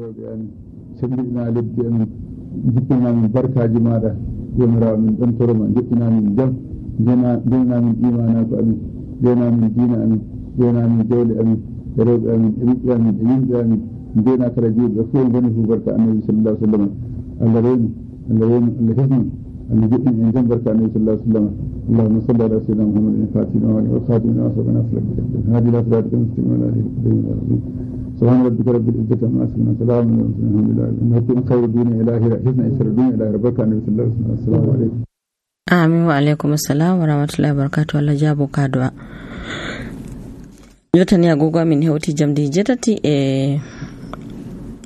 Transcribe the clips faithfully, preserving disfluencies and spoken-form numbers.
rewɓe amin sembiɗina lebbi amin jippinamin barkaji maɗa jomirawo min ɗon toroma joɗɗinamin jam jeenamin imanako amin jeenamin diina amin jeenamin jawle amin e rewɓe amin e ɓiɓɓe amin e yimɓe amin jeena kala juuɓe fof goni fu barka annabi sallallahu alaihi wasallam Allah rewni Allah rewni Allah hefni Allah joɗɗin en jam barka annabi sallallahu alaihi wasallam اللهم صل على سيدنا محمد الفاتح والخاتم لما سبق ناصر بالحق هذه لا صراط المستقيم ولا هادي سبحان ربك رب العزة عما يصفون وسلام على المرسلين الحمد لله إنكم خير الدنيا إلى آخرة حسن إسر الدنيا إلى ربك النبي صلى الله عليه وسلم السلام عليكم آمين وعليكم السلام ورحمة الله وبركاته الله جابو كادوا jotani agogo min hewti jamdi jetati e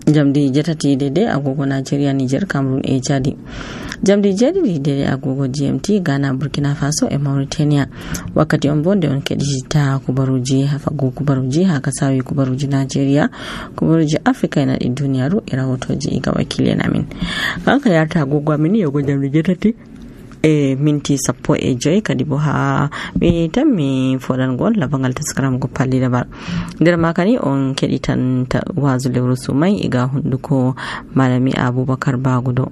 jamdi jetati dede agogo Nigeria Niger Cameroon e Chadi jamdi jeɗiɗi dede agogo G M T Ghana Burkina Faso e Mauritania wakkati on bonde on keɗita kubaruji hafago kubaruji ha kasawi kubaruji Nigeria kubaruji Afrika ena ɗi duniyaru e rahotoji iga wakilen amin kanka yarta agogo amin yogo jamdi jetati e minti sappo e joyi kadi bo ha mi tammi foɗangol labangal taskaram go palli dabar nder makani on keɗitan wazu lewru sumai iga hunduko malami Abubakar Bagudo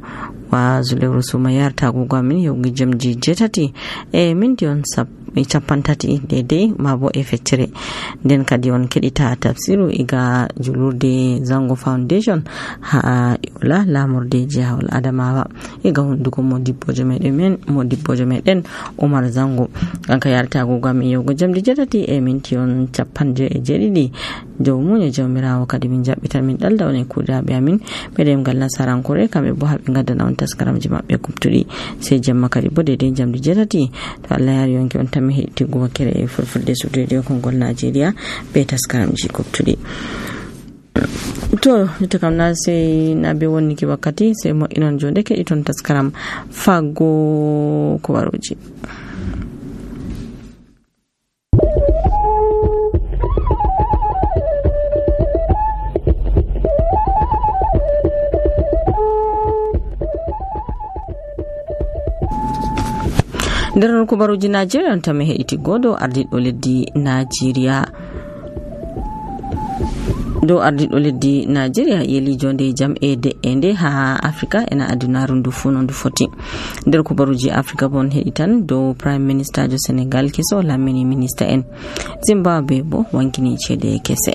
wazu lewru sumai yarta agogo amin yogi jamji jetati e minti on sappo e capantati daidai mabo e feccere nden kadi on keɗita tafsiru iga julurde Zango Foundation ha yola lamurde jihawol Adamawa iga hunduko modibbojo meɗen men modibbojo meɗen Umar Zango kanka yarta agogo amin yogo jamdi jetati e minti on capanje e jeɗiɗi dow muñe jawmirawo kadi min jabbitan min ɗalda on e kuuɗaɓe amin meɗen ngal nasarankore kamɓe bo haɓe gaddana on taskaramji maɓɓe kubtuɗi sey jemma kadi bo deydey jamdi jetati to Allah yari yonki on tammi heɗitigo wakkere e fulfulde sudede kongol Nigeria be taskaramji kubtuɗi to ita kam na sai na be wonniki wakkati sai mo inon jonde ke iton taskaram fago kubaruji nder kubaruji Nigeria on tami heɗiti godo ardiɗo leddi Nigeria do ardiɗo leddi Nigeria yeli jonde jam e de'ende ha Afrika ena adunaru ndu fu no ndu foti nder kubaruji Afrika bon heɗitan do Prime Minister jo Senegal keso lamini minister en Zimbabwe bo wankini cede kese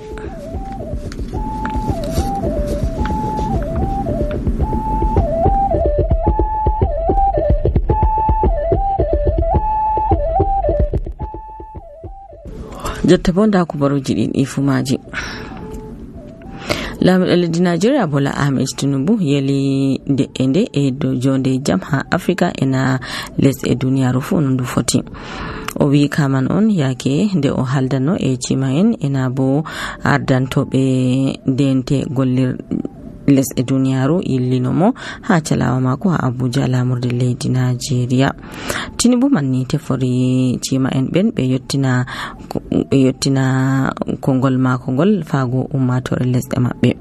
jotta bo nda kubaruji ɗin ifumaji lamiɗo leddi Nigeria Bola Ahmed Tinubu yeli de'ende e do jonde jam ha Afrika ena lesɗe duniyaru fu no ndu foti o wi kaman on yake nde o haldano e cima en ena bo ardantoɓe dente gollir lesɗe duniyaru illinomo ha calawa mako ha Abuja lamurde leydi Nigeria Tinubu manni tefori cima en ɓen ɓe yottina ɓe yottina kongol mako ngol fago ummatore lesɗe maɓɓe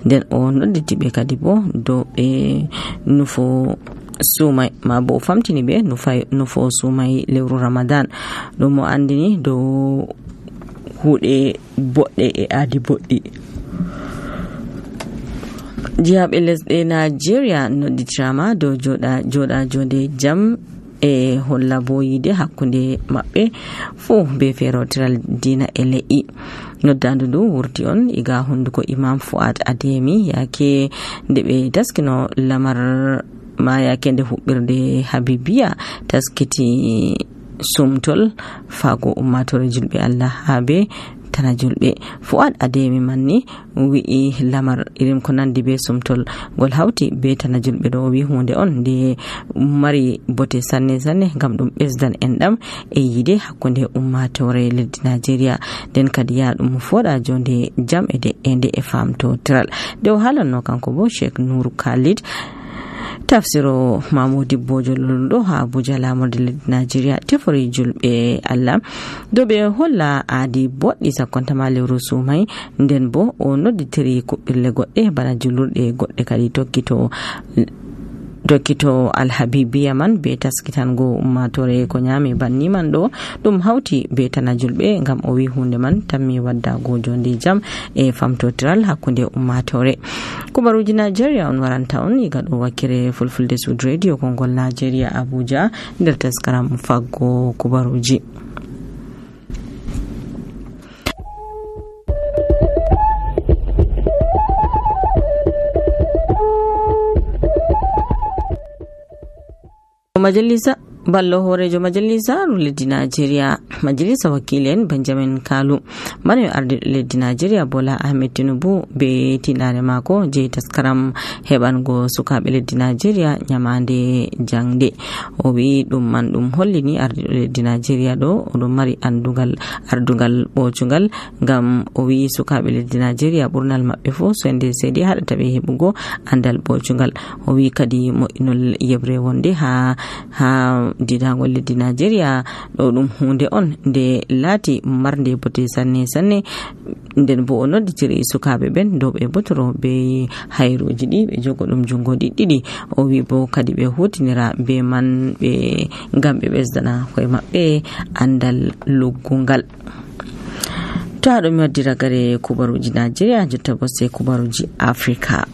nden o nodditi ɓe kadi bo do ɓe nufo sumai ma bo famtini ɓe nufo sumai lewru Ramadan ɗum mo andini dow huuɗe boɗɗe e aadi boɗɗi jihaɓe lesɗe Nigeria nodditirama dow joɗa joɗa jonde jam e holla bo yide hakkunde maɓɓe fu be ferotiral dina e le'i noddandu ndu wurti on iga hunduko Imam Fuad Ademi yake nde ɓe taskino lamar ma yake nde huɓɓirde Habibiya taskiti sumtol fago ummatore julɓe Allah habe tana julɓe Fuad Ademi manni wi'i lamar irin ko nandi be sumtol gol hawti be tana julɓe ɗo wi hunde on nde mari bote sanne sanne ngam ɗum ɓesdan enɗam e yide hakkunde ummatore leddi Nigeria nden kadi ya ɗum foɗa jonde jam e de'ende e famto tiral nde o halanno kanko bo Sheikh Nour Khalid tafsiro Mamudi Bojo Luludo ha Abuja lamurde leddi Nigeria tefori julɓe Allah do ɓe holla aadi boɗɗi sakkontama lewru sumai nden bo o nodditiri kuɓɓirle goɗɗe bana julurɗe goɗɗe kadi tokkito dokkito alhabibiya man be taskitango ummatore ko nyame banni man ɗo ɗum hawti be tana julɓe ngam o wi hunde man tammi waddago jonde jam e famtotiral hakkunde ummatore. Kubaruji Nigeria on waranta on iga ɗo wakkere fulfulde Sud Radio Kongol Nigeria Abuja nder taskaram faggo kubaruji. Majalisa ballo horejo majalisa leddi Nigeria majalisa wakilen Benjamin Kalu mane arde leddi Nigeria Bola Ahmed Tinubu be tinare mako je taskaram hebango sukabe leddi Nigeria nyamande jangde o wi dum man dum hollini arde leddi Nigeria do dum mari andugal ardugal bocungal ngam o wi sukabe leddi Nigeria burnal mabbe fo so ende sedi hadata be hebugo andal bocungal o wi kadi mo inol yebre wonde ha ha didangol leddi Nigeria do dum hunde on nde lati marde bote sanne sanne nden bo o nodditiri sukabe ben do be botoro be hayruji di be jogo dum jungo diddi o wi bo kadi be hutinira be man be ngam be besdana koy mabbe andal luggungal. To ado mi waddira gare kubaruji Nigeria jotta bo se kubaruji Africa.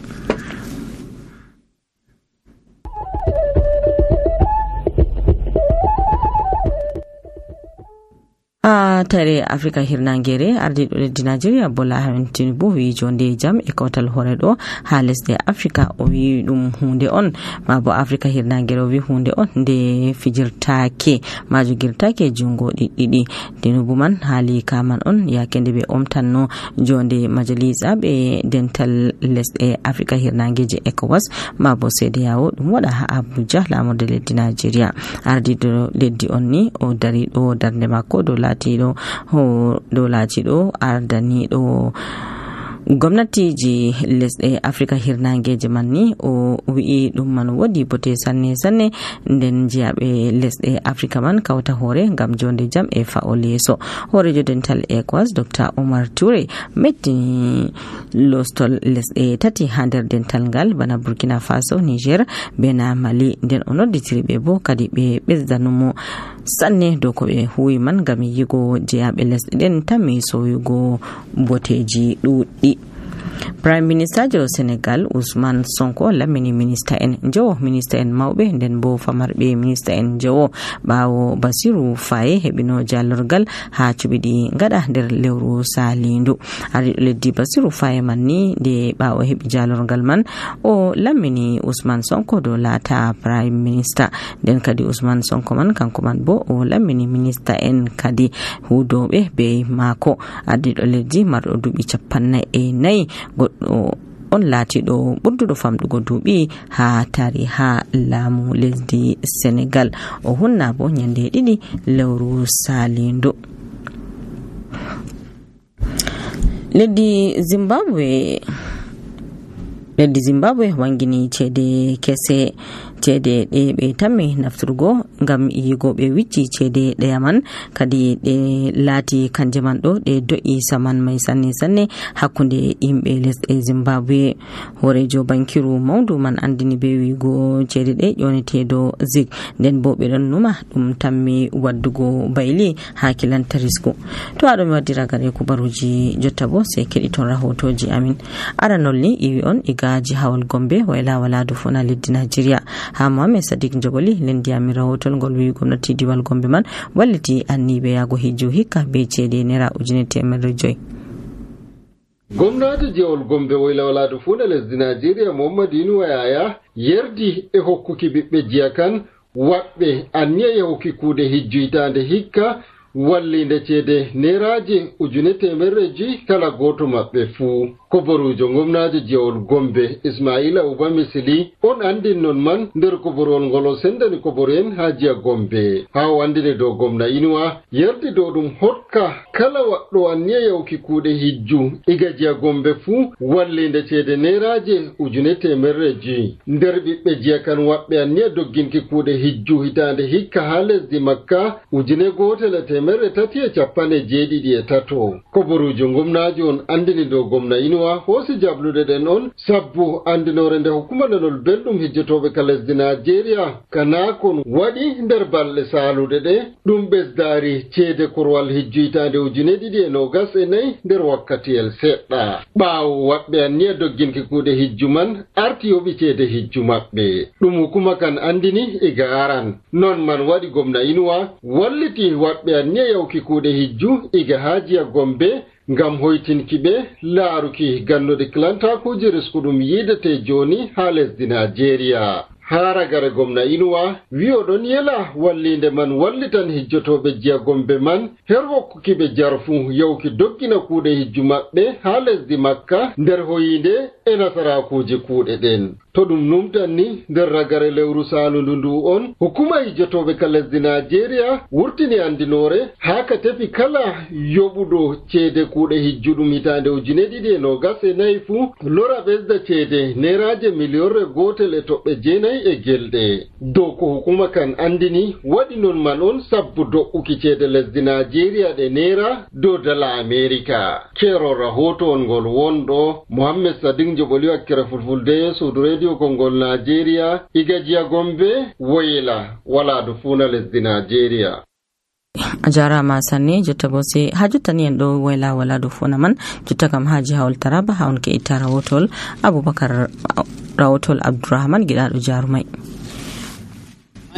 a tare Africa hirnangere ardi do leddi Nigeria Bola Ahmed Tinubu wi jonde jam e kawtal hore do ha lesde Africa o wi dum hunde on ma bo Africa hirnangere o wi hunde on de fijirtaake majugirtaake jungo diddi Tinubu man hali kaman on yakende be omtanno jonde majalisa be dental lesde Africa hirnangeje ECOWAS ma bo sede yawo dum wada ha Abuja lamurde leddi Nigeria ardi do leddi onni o dari do darde makko do latido ho do latido ardanido gwamnati ji lesde Africa hirnangeje manni o wi'i dum man wodi bote sanne sanne nden jiabe lesde Africa man kawta hore ngam jonde jam e faoleso horejo dental ECOWAS Doctor Omar Toure metti lostol lesde tati hander dental ngal bana Burkina Faso, Niger, bena Mali nden onodditiri be bo kadi be bezdanumo sanne do ko be huwi man ngam yigo jiabe lesde den tammi soyugo boteji dudi. Prime Minister jo Senegal Ousmane Sonko lamini minister en jo minister en mawbe nden bo famarbe minister en jo bawo Basiru Faye hebino jallorgal ha cubidi ngada der lewru salindu ari leddi Basiru Faye manni de bawo hebi jallorgal man o lamini Ousmane Sonko do lata Prime Minister den kadi Ousmane Sonko man kanko man bo o lamini minister en kadi hudobe be mako adi leddi mardo dubi capanna e nay goddo on latido burdudo famdugo dubi ha tari ha lamu lesdi Senegal o hunna bo nyande didi lewru salindo. leddi Zimbabwe leddi Zimbabwe wangini cede kese cede de be tamme nafturgo ngam yigo be wicci cede de yaman kadi de lati kanje man do de do'i saman mai sanne sanne hakkunde imbe lesde Zimbabwe horejo bankiru mawdu man andini be wigo cede de yonete do zig den bo be don numa dum tamme waddugo bayli hakilan tarisku. To ado mi waddira gare ku baruji jotta bo se kedi ton rahotoji amin aranolni iwi on igaji hawal Gombe wayla wala do fona leddi Nigeria ha Mohamed Sadiq Joboli lendi ami rahotol ngol wi gomnati diwal Gombe man walliti annibe yago hijju hikka be cede nera ujune temere joy. Gwamnati jewol Gombe wayla wala do fona lesdi Nigeria Muhammadinu Wayaya yerdi e hokkuki bibbe jiyakan wabbe anniya yahuki kude hijju itande hikka wallinde cede neraje ujune temerreji kala goto mabbe fu. Koborujo ngomnaji jewol Gombe Ismaila Uba Misili on andin non man nder koborol ngolo sendani koboren hajiya Gombe ha wandine do gomna Inuwa yerdi do dum hokka kala waddo anniya yawki kude hijju igajiya Gombe fu wallinde cede neraje ujune temerreji nder bibbe jiyakan wabbe anniya dogginki kude hijju hitande hikka ha lesdi Makka ujune gotel temerre tati e capanɗe jeeɗiɗi e tato. Koborujo gomnajo on andini dow gomna Inuwa hoosi jabluɗe ɗen on sabbu andinore nde hukuma nanol belɗum hijjotoɓe ka lesdi Nigeria kana kon waɗi nder balɗe saaluɗe ɗe ɗum ɓesdaari ceede korwal hijjoytande ujune ɗiɗi e nogas e nayi nder wakkatiyel seɗɗa. Ɓaawo waɓɓe anniya dogginki kuuɗe hijju man arti yoɓi ceede hijju maɓɓe ɗum hukuma kan andini iga aran. Non man waɗi gomna Inuwa walliti waɓɓe anniya yawki kuuɗe hijju iga Hajiya Gombe ngam hoytinki ɓe laaruki gannuɗe kilantakuuje riskuɗum yiidete jooni haa lesdi Nigeria. Haragare gomna Inuwa wi oɗon yela wallinde man wallitan hijjotoɓe Jiya Gombe man her hokkuki ɓe jarfu yawki doggina kuuɗe hijju maɓɓe haa lesdi Makka nder hoyinde e nasarakuuje kuuɗe ɗen. To ɗum numtan ni nder ragare lewru saalundu ndu on hukuma hijjotoɓe ka lesdi Nigeria wurtini andinore haa ka tefi kala yoɓuɗo ceede kuuɗe hijjuɗum hitande ujune ɗiɗi e nogas e nayi fuu lora ɓesda ceede neraje miliyonre gotel e toɓɓe jeenayi e gelɗe. Dow ko hukuma kan andini waɗi non man on sabbu do'uki ceede lesdi Nigeria ɗe nera dow dala Amerika. Keero rahoto on ngol wonɗo Mohammed Sadiq Joɓoli wakkere Fulfulde suudu radio kongol Nigeria iga Jiya Gombe woyla waladu funa lesdi Nigeria. A jarama sanne jotta bo se ha jotta ni en ɗo wayla waladu funa man jotta kam haji hawol Taraba ha on ke itta rawotol Abubakar rawotol Abdurrahman giɗaɗo jarumai.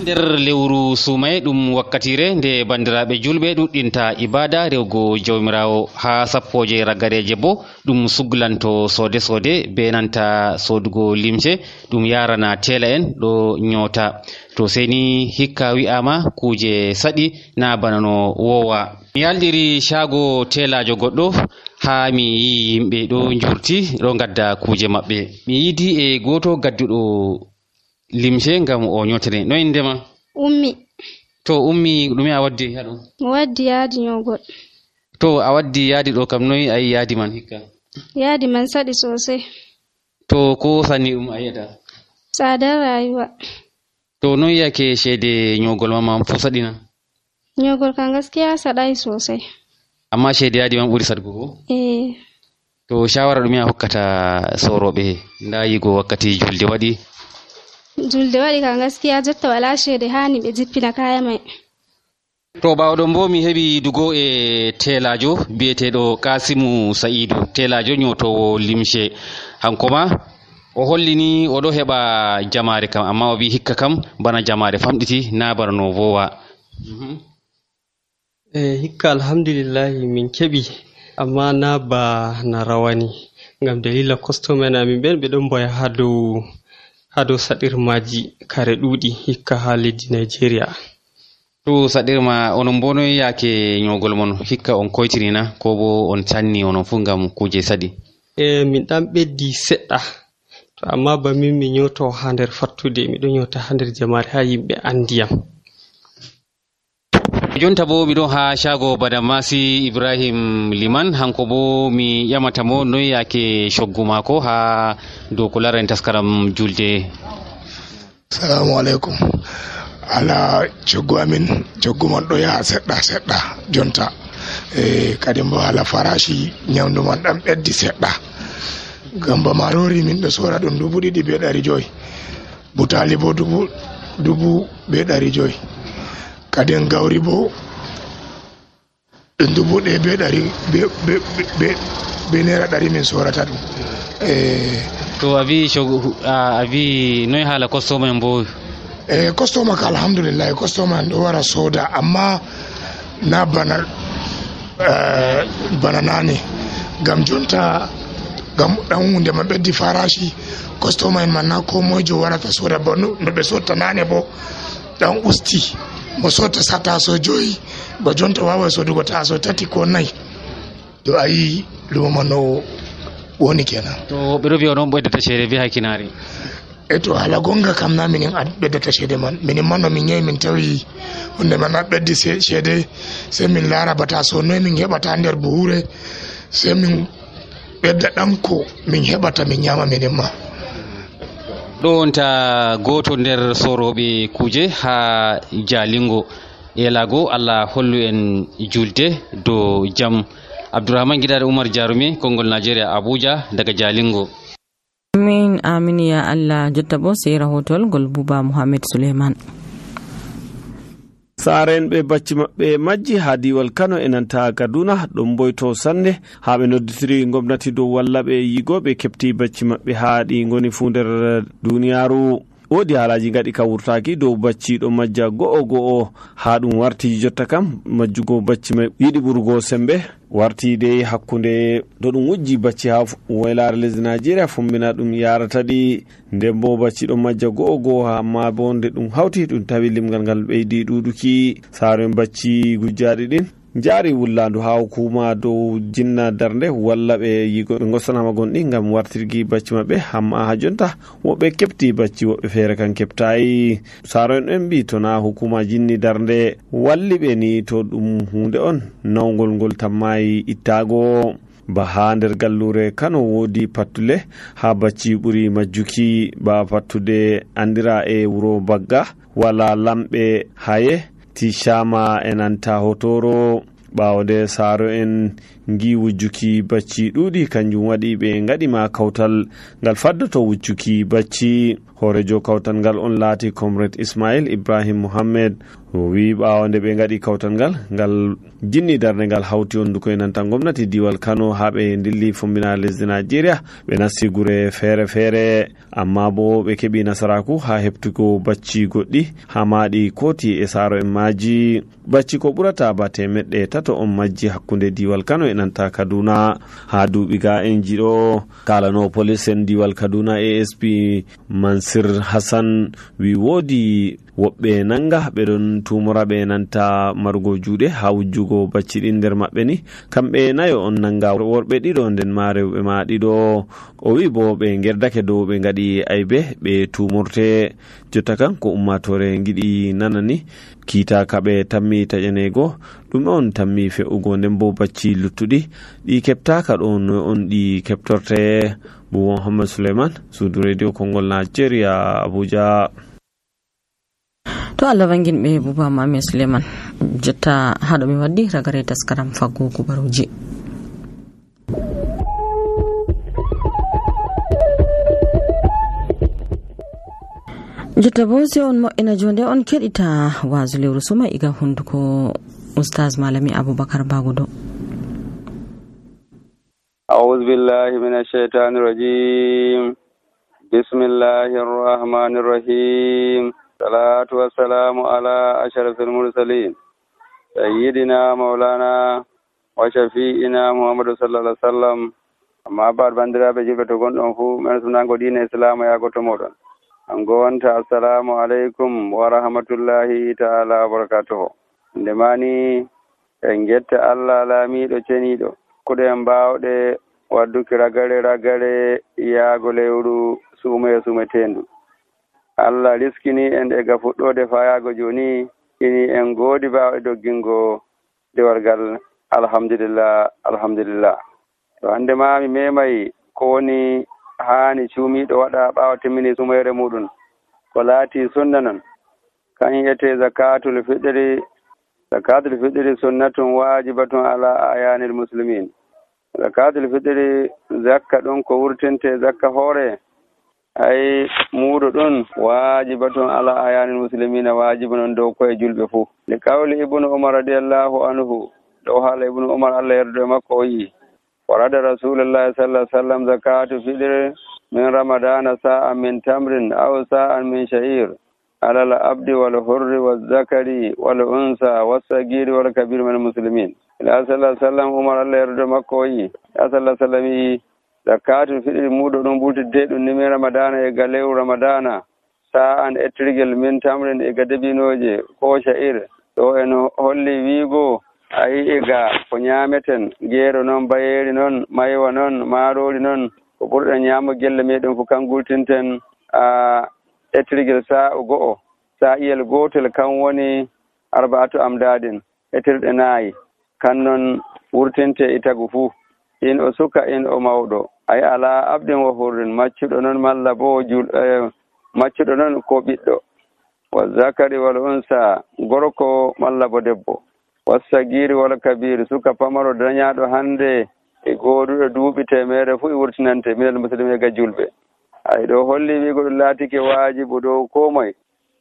nder lewru sumay ɗum wakkatire nde bandiraɓe julɓe ɗuɗɗinta ibada rewgo jawmirawo ha sappoje raggareje bo ɗum suglanto sode sode be nanta sodugo limse ɗum yarana tela en ɗo nyota to seni hikka wi'ama kuje saɗi na bana no wowa. Mi yaldiri shago telajo goɗɗo ha mi yi yimɓe ɗo jurti ɗo gadda kuje maɓɓe. Mi yidi e goto gadduɗo limse ngam o nyotire. No indema? Ummi. To ummi ɗume a waddi haɗo? Mi waddi yaadi nyogol. To a waddi yaadi ɗo kam noyi ayi yaadi man hikka? Yaadi man saɗi sosai. To ko sanni ɗum a yiyata? Tsadar rayuwa. To noyi yake shede nyogol man fu saɗina? Nyogol kan gaskiya saɗai sosai. Amma shede yaadi man ɓuri saɗugo ko? Eh. To shawara ɗume a hokkata soroɓe nda yigo wakkati julde waɗi? Julde waɗi kan gaskiya jotta wala shede hani ɓe jippina kaya mai. To ɓawɗon bo mi heɓi dugo e telajo biyeteɗo Kasimu Sa'idu, telajo nyotowo limshe. Hankoma o hollini oɗo heɓa jamare kam amma o wi hikka kam bana jamare famɗiti na bana no vowa. Mm-hmm. Eh, hikka alhamdulillahi min keɓi amma na ba na rawani ngam dalila customer amin ɓen ɓe ɗon boya ha dow ha dow saɗirmaji kare ɗuɗi hikka ha leddi Nigeria. To saɗirma onon bo noy yake nyogol mon hikka on koytirina ko bo on sanni onon fu ngam kuje saɗi? E min ɗan ɓeddi seɗɗa to amma ba min mi nyoto ha nder fattude miɗo nyota ha nder jamare ha yimɓe andiyam. Jonta bo miɗon ha shago Badamasi Ibrahim Liman, hanko bo mi ƴamata mo noy yake shoggu mako ha dow ko larani taskaram julde. Assalamu alaikum. Ala coggu amin coggu man ɗo yaha seɗɗa seɗɗa jonta e kadi mbo ala farashi nyamdu man ɗan ɓeddi seɗɗa gamba marori min ɗo sora ɗum dubu ɗiɗi be ɗari joyi, butali bo dubu dubu be ɗari joyi, kadi gawri bo ɗum dubu ɗe be ɗari be be be be naira ɗari min sorata ɗum. e to a wi a wi noy hala customer en bo? e customer ka alhamdulillah customer en ɗo wara soda amma na bana bana nane gam jonta gam ɗan hunde man ɓeddi farashi customer en man na ko moyjo warata soda bo no ɓe sotta nane bo ɗan usti mo sotta sa taso joyi ba jonta wawa sodugo taso tati ko nayi to ayi lumo man no woni kenan. To ɓeɗo wiya onon ɓeddata ceede be hakkinari? e to hala gonga kam na minin ɓeddata ceede man, minin man no min yehi min tawi hunde man na ɓeddi ceede sai min laara bata so noy min heɓata nder buhure sai min ɓedda ɗan ko min heɓata min nyama minin ma. ɗo wonta goto nder soroɓe kuje ha Jalingo. elago Allah hollu en julde do jam. Abdourahmane Gidado Umar Jarumi, Kongol Nigeria, Abuja daga Jalingo. Amin amin ya Allah. Jotta bo sai rahotol gol Buba Muhammad Suleiman. Saren ɓe bacci maɓɓe majji ha diwal Kano e nanta Kaduna ɗum boyto sanne ha ɓe nodditiri gomnati dow walla ɓe yigo ɓe kepti bacci maɓɓe ha ɗi goni fu nder duniyaru. Wodi halaji gaɗi ka wurtaki dow bacci ɗo majja go'o go'o ha ɗum warti jotta kam majjugo bacci mai yiɗi ɓurgo sembe warti de hakkunde do ɗum wujji bacci ha waylare lesdi Nigeria fombina ɗum yarata ɗi nden bo bacci ɗo majja go'o go'o amma bo nde ɗum hawti ɗum tawi limgal ngal ɓeydi ɗuɗuki. Saren bacci gujjaɗi ɗin jari wullandu ha hukuma dow jinna darnde walla ɓe yigo ɓe gossanama gonɗi gam wartirgi bacci maɓɓe hamma ha jonta woɓɓe kepti bacci woɓɓe feere kan keptayi. Saro en en mbi tona hukuma jinni darnde walli ɓe ni to ɗum hunde on nawgol ngol tammayi ittago. Ba ha nder gallure Kano wodi pattule ha bacci ɓuri majjuki ba pattude andira e wuro Bagga wala lamɓe haye Tishama enanta Hotoro. ɓawde saro en gi wujjuki bacci ɗuɗi kanjum waɗi ɓe gaɗima kawtal ngal faddoto wujjuki bacci. horejo kawtal ngal on laati comrade Ismail Ibrahim Mohammed o wi ɓawo nde ɓe gaɗi kawtal ngal ngal jinni darde ngal hawti honduko e nanta gomnati diwal Kano ha ɓe dilli fombina lesdi Nigeria ɓe nasti gure feere feere amma bo ɓe keɓi nasaraku ha heptugo bacci goɗɗi ha maɗi koti e saro en maji. Bacci ko ɓurata ba temeɗɗe tato on majji hakkunde diwal Kano e nanta Kaduna ha duuɓi ga en jiɗo. kalano police en diwal Kaduna A S P Mansir Hassan wi wodi woɓɓe nanga ɓeɗon tumora ɓe nanta marugo juuɗe ha wujjugo bacci ɗin nder maɓɓe ni kamɓe nayo on nanga worɓe ɗiɗo nden ma rewɓe ma ɗiɗo. O wi bo ɓe gerdake dow ɓe gaɗi aybe ɓe tumorte. Jotta kan ko ummatore giɗi nanani kiita kaɓe tammi taƴanego ɗum on tammi fe'ugo nden bo bacci luttuɗi ɗi keptaka ɗo no on ɗi keptorte. Buba Muhammad Suleiman, Sudu Radio Kongol Nigeria, Abuja. To Allah wangin ɓe Buba Muhammad Suleiman. Jotta haɗo mi waddi ragare taskaram faggo kubaruji. Jotta bo sai on mo'ina jonde on keɗita wazu lewru suma iga hunduko Ustaz Malami Abubakar Bagudo. أعوذ بالله من الشيطان الرجيم بسم الله الرحمن الرحيم الصلاة والسلام على أشرف المرسلين سيدنا مولانا وشفيئنا محمد صلى الله عليه وسلم أما بعد بندرا بجيبة تقول أنفو من سنانكو دين الإسلام يا قطمودن أنقوانت السلام عليكم ورحمة الله تعالى وبركاته ndemani en jetta Allah laamiɗo ceniɗo kuɗe mbawɗe wadduki ragare ragare yaago lewru suume sumetendu. Allah riskini en ega fuɗɗode fa yaago joni ini en goodi mbawɗe doggingo dewargal alhamdulillah alhamdulillah. To hande ma mi memay ko woni haani cuumiɗo waɗa ɓawa timmini sumere muɗum ko laati sunna non kan yete zakatul fitri. Zakatul fitri sunnatun wajibatun ala ayanil muslimin. Zakatul fitri zakka ɗon ko wurtinte zakka hoore ay muɗo ɗon wajibatun ala ayanil muslimina wajibun on dow koye julɓe fuu. Li qawli ibnu umar radiyallahu anhu ɗo haala ibnu umar Allah yerdo makko o yi warada rasulullahi sallallahu alaihi wasallam zakatu fitri min ramadana sa'an min tamrin aw sa'an min sha'ir على العبد والحر والذكر والأنثى والصغير والكبير من المسلمين. إلى صلى الله عليه وسلم عمر الله يرضى مكوي. صلى الله عليه وسلم زكاة الفطر مودو دون بوت ديد نمي رمضان إغاليو رمضان ساعة اترجل من تمر إغادبينوجي كو شعير. تو إنه هولي ويغو أي إغا فنيامتن غيرو نون بايري نون مايو نون مارولي نون وبرد نيامو جل ميدون فكان قلتنتن آه etirgel saa go'o saa iyel gotel kan woni arba'atu amdadin etirɗe naayi kan non wurtinte itagu fuu in o suka in o mawɗo ay ala abdin wa hurrin maccuɗo noon malla bo jul maccuɗo noon ko ɓiɗɗo wa zakari wal unsa gorko malla bo debbo wassagiri wal kabiri suka pamaro dañaɗo hande e goduɗo duuɓi temere fu e wurtinante minal muslimin ga julɓe ay ɗo holli wigo ɗum laatike waajibu dow ko moye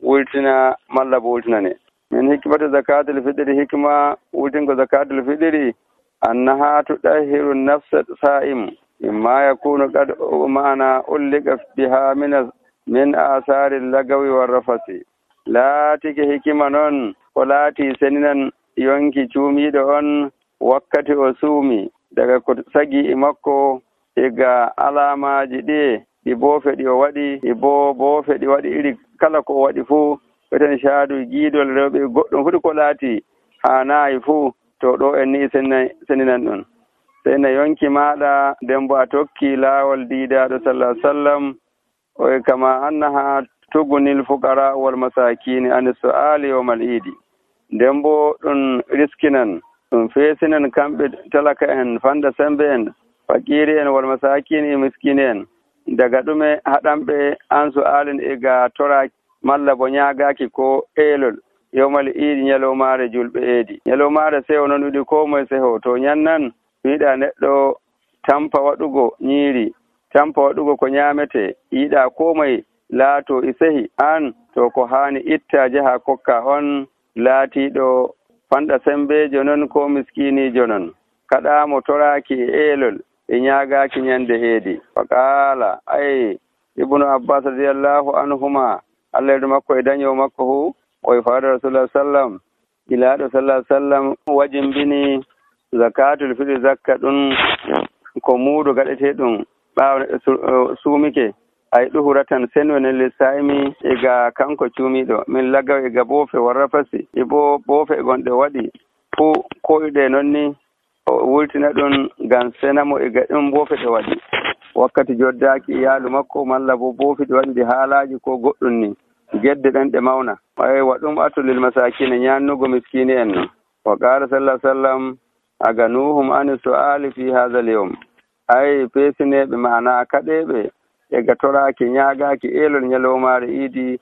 wultina malla bo wultinane min hikmatu zakatul fitri hikma wultingo zakatul fitri annaha tudahiru nafsa sa'im imma yakunu qad ma'ana ullika biha min min asari lagawi warrafasi laatike hikima noon ko laati seninan yonki cuumiɗo on wakkati o suumi daga ko sagi e makko ega alamaji ɗi ɗi boofe ɗi o waɗi ɗi bo boofe ɗi waɗi iri kala ko o waɗi fuu ɓeten caadu giidol rewɓe goɗɗum fuɗi ko laati haanayi fuu to ɗo en ni seninan ɗum seyna yonki maɗa nden bo a tokki laawol diidaɗo sallah sallam oye kama annaha tugunil fuqara wal masakini ani su'ali yawmal idi nden bo ɗum riskinan ɗum feesinan kamɓe talaka en fanda sembe en fakiri en wal masakini e miskine en daga ɗume haɗanɓe an su'alin e ga tora malla bo ñaagaki ko eelol yawmal idi ñalowmaare julɓe eedi ñalowmaare seho noon wiɗi ko moye seho to ñannan yiɗa neɗɗo tampa waɗugo ñiiri tampa waɗugo ko ñaamete yiɗa ko moye laato e sehi an to ko haani itta jaha kokka on laatiɗo fanɗa sembejo non ko miskinijo non kaɗamo toraki e eelol e ñaagaki ñande eedi fa qaala ay ibnu abbas radiallahu anhuma allah yeɗo makko e daño makko hu oye faada rasulullah sallam ilaaɗo sallah sallam wajimbini zakatul fitri zakka ɗum ko muuɗo gaɗete ɗum ɓaawa suumike ay ɗuhuratan senwenen lissaymi ega kanko cuumiɗo min lagaw ega boofe warrafasi e bo boofe gonɗe waɗi fuu koyɗe noon ni o wultina ɗum ngam senamo ega ɗum boofe ɗe waɗi wakkati joddaki iyaalu makko malla bo boofi ɗe waɗi ɗi haalaji ko goɗɗum ni gedde ɗen ɗe mawna ay waɗum atulil masakine ñannugo miskini en non wa qala sallah sallam aganuhum ani su'ali fi hadha al yawm ay peesineɓe mana kaɗeɓe ega toraki ñaagaki eelol ñalowmaare iidi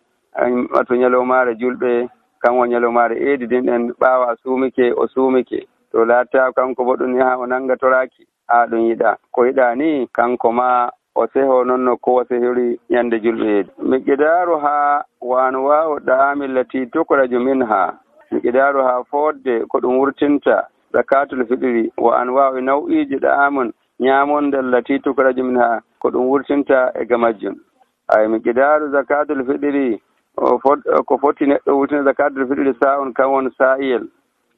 wato ñalowmaare julɓe kanko ñalowmaare eedi din ɗen ɓaawa suumike o suumike to laatta kanko bo ɗum ni ha o nanga toraki ha ɗum yiɗa ko yiɗa ni kanko ma o seho noon no ko o sehori ñande julɓe eedi miqdaru ha wano wawo ɗaami lati tukraju minha miqdaru ha fodde ko ɗum wurtinta zakatul fitri wa an wawi naw'iji ɗaamun ñamondal lati tukraju minha ko ɗum wurtinta e ga majjum ay miqdaru zakatul fitri ko foti neɗɗo wurtina zakatul fitri sa'on kan won sa'iyel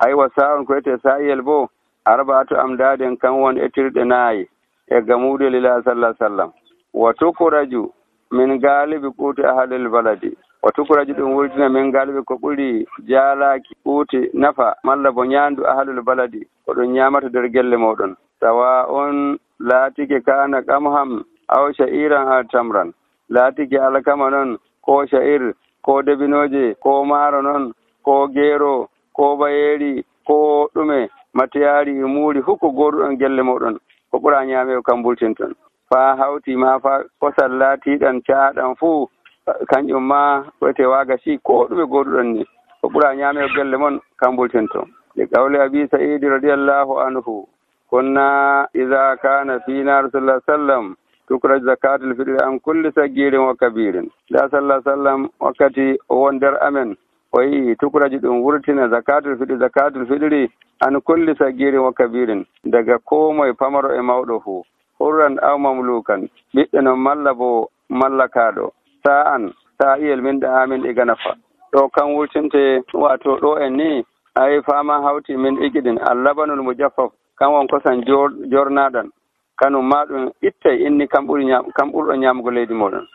aywa sa'on ko ete sa'iyel bo arba'atu amdaden kan won etirɗe naayi e ga muɗo lila sallah sallam wa tukraju min galibi quti ahlil baladi wa tukraju ɗum wurtina min galibi ko ɓuri jaalaki quti nafa malla bo ñandu ahlul baladi ko ɗum ñamata nder gelle moɗon tawa on laatike kana qamham aw sha'iran aw tamran laatike alkama noon ko sha'ir ko debinoje ko maaro noon ko geero ko bayeri ko ɗume matiyari e muuri hukko goruɗon gelle moɗon ko ɓura ñaame kam bultinton fa hawti ma fa kosal laatiɗan caaɗan fuu kanƴum ma wete waaga si ko ɗume goruɗon ni ko ɓura ñaame gelle mon kam bultinton li qawli abi sa'idi radiyallahu anhu kunna idha kana fina rasulullah sallam tukraj zakatul fitri an kulli sagirin wa kabirin da sallallahu sallam wakkati o won nder amen o yi tukraji ɗum wurtina zakatul fitri zakatul fitri an kulli sagirin wa kabirin daga ko moye pamaro e mawɗo fuu hurran aw mamlukan ɓiɗɗe non malla bo mallakaɗo sa'an sa'iyel min da amin e ganafa ɗo kan wurtinte wato ɗo en ni ay fama hawti min igiɗin allabanul mujaffaf kan won kosan jornaɗan kanum ma ɗum ittay inni kam ɓuri kam ɓurɗo ñamugo leydi moɗon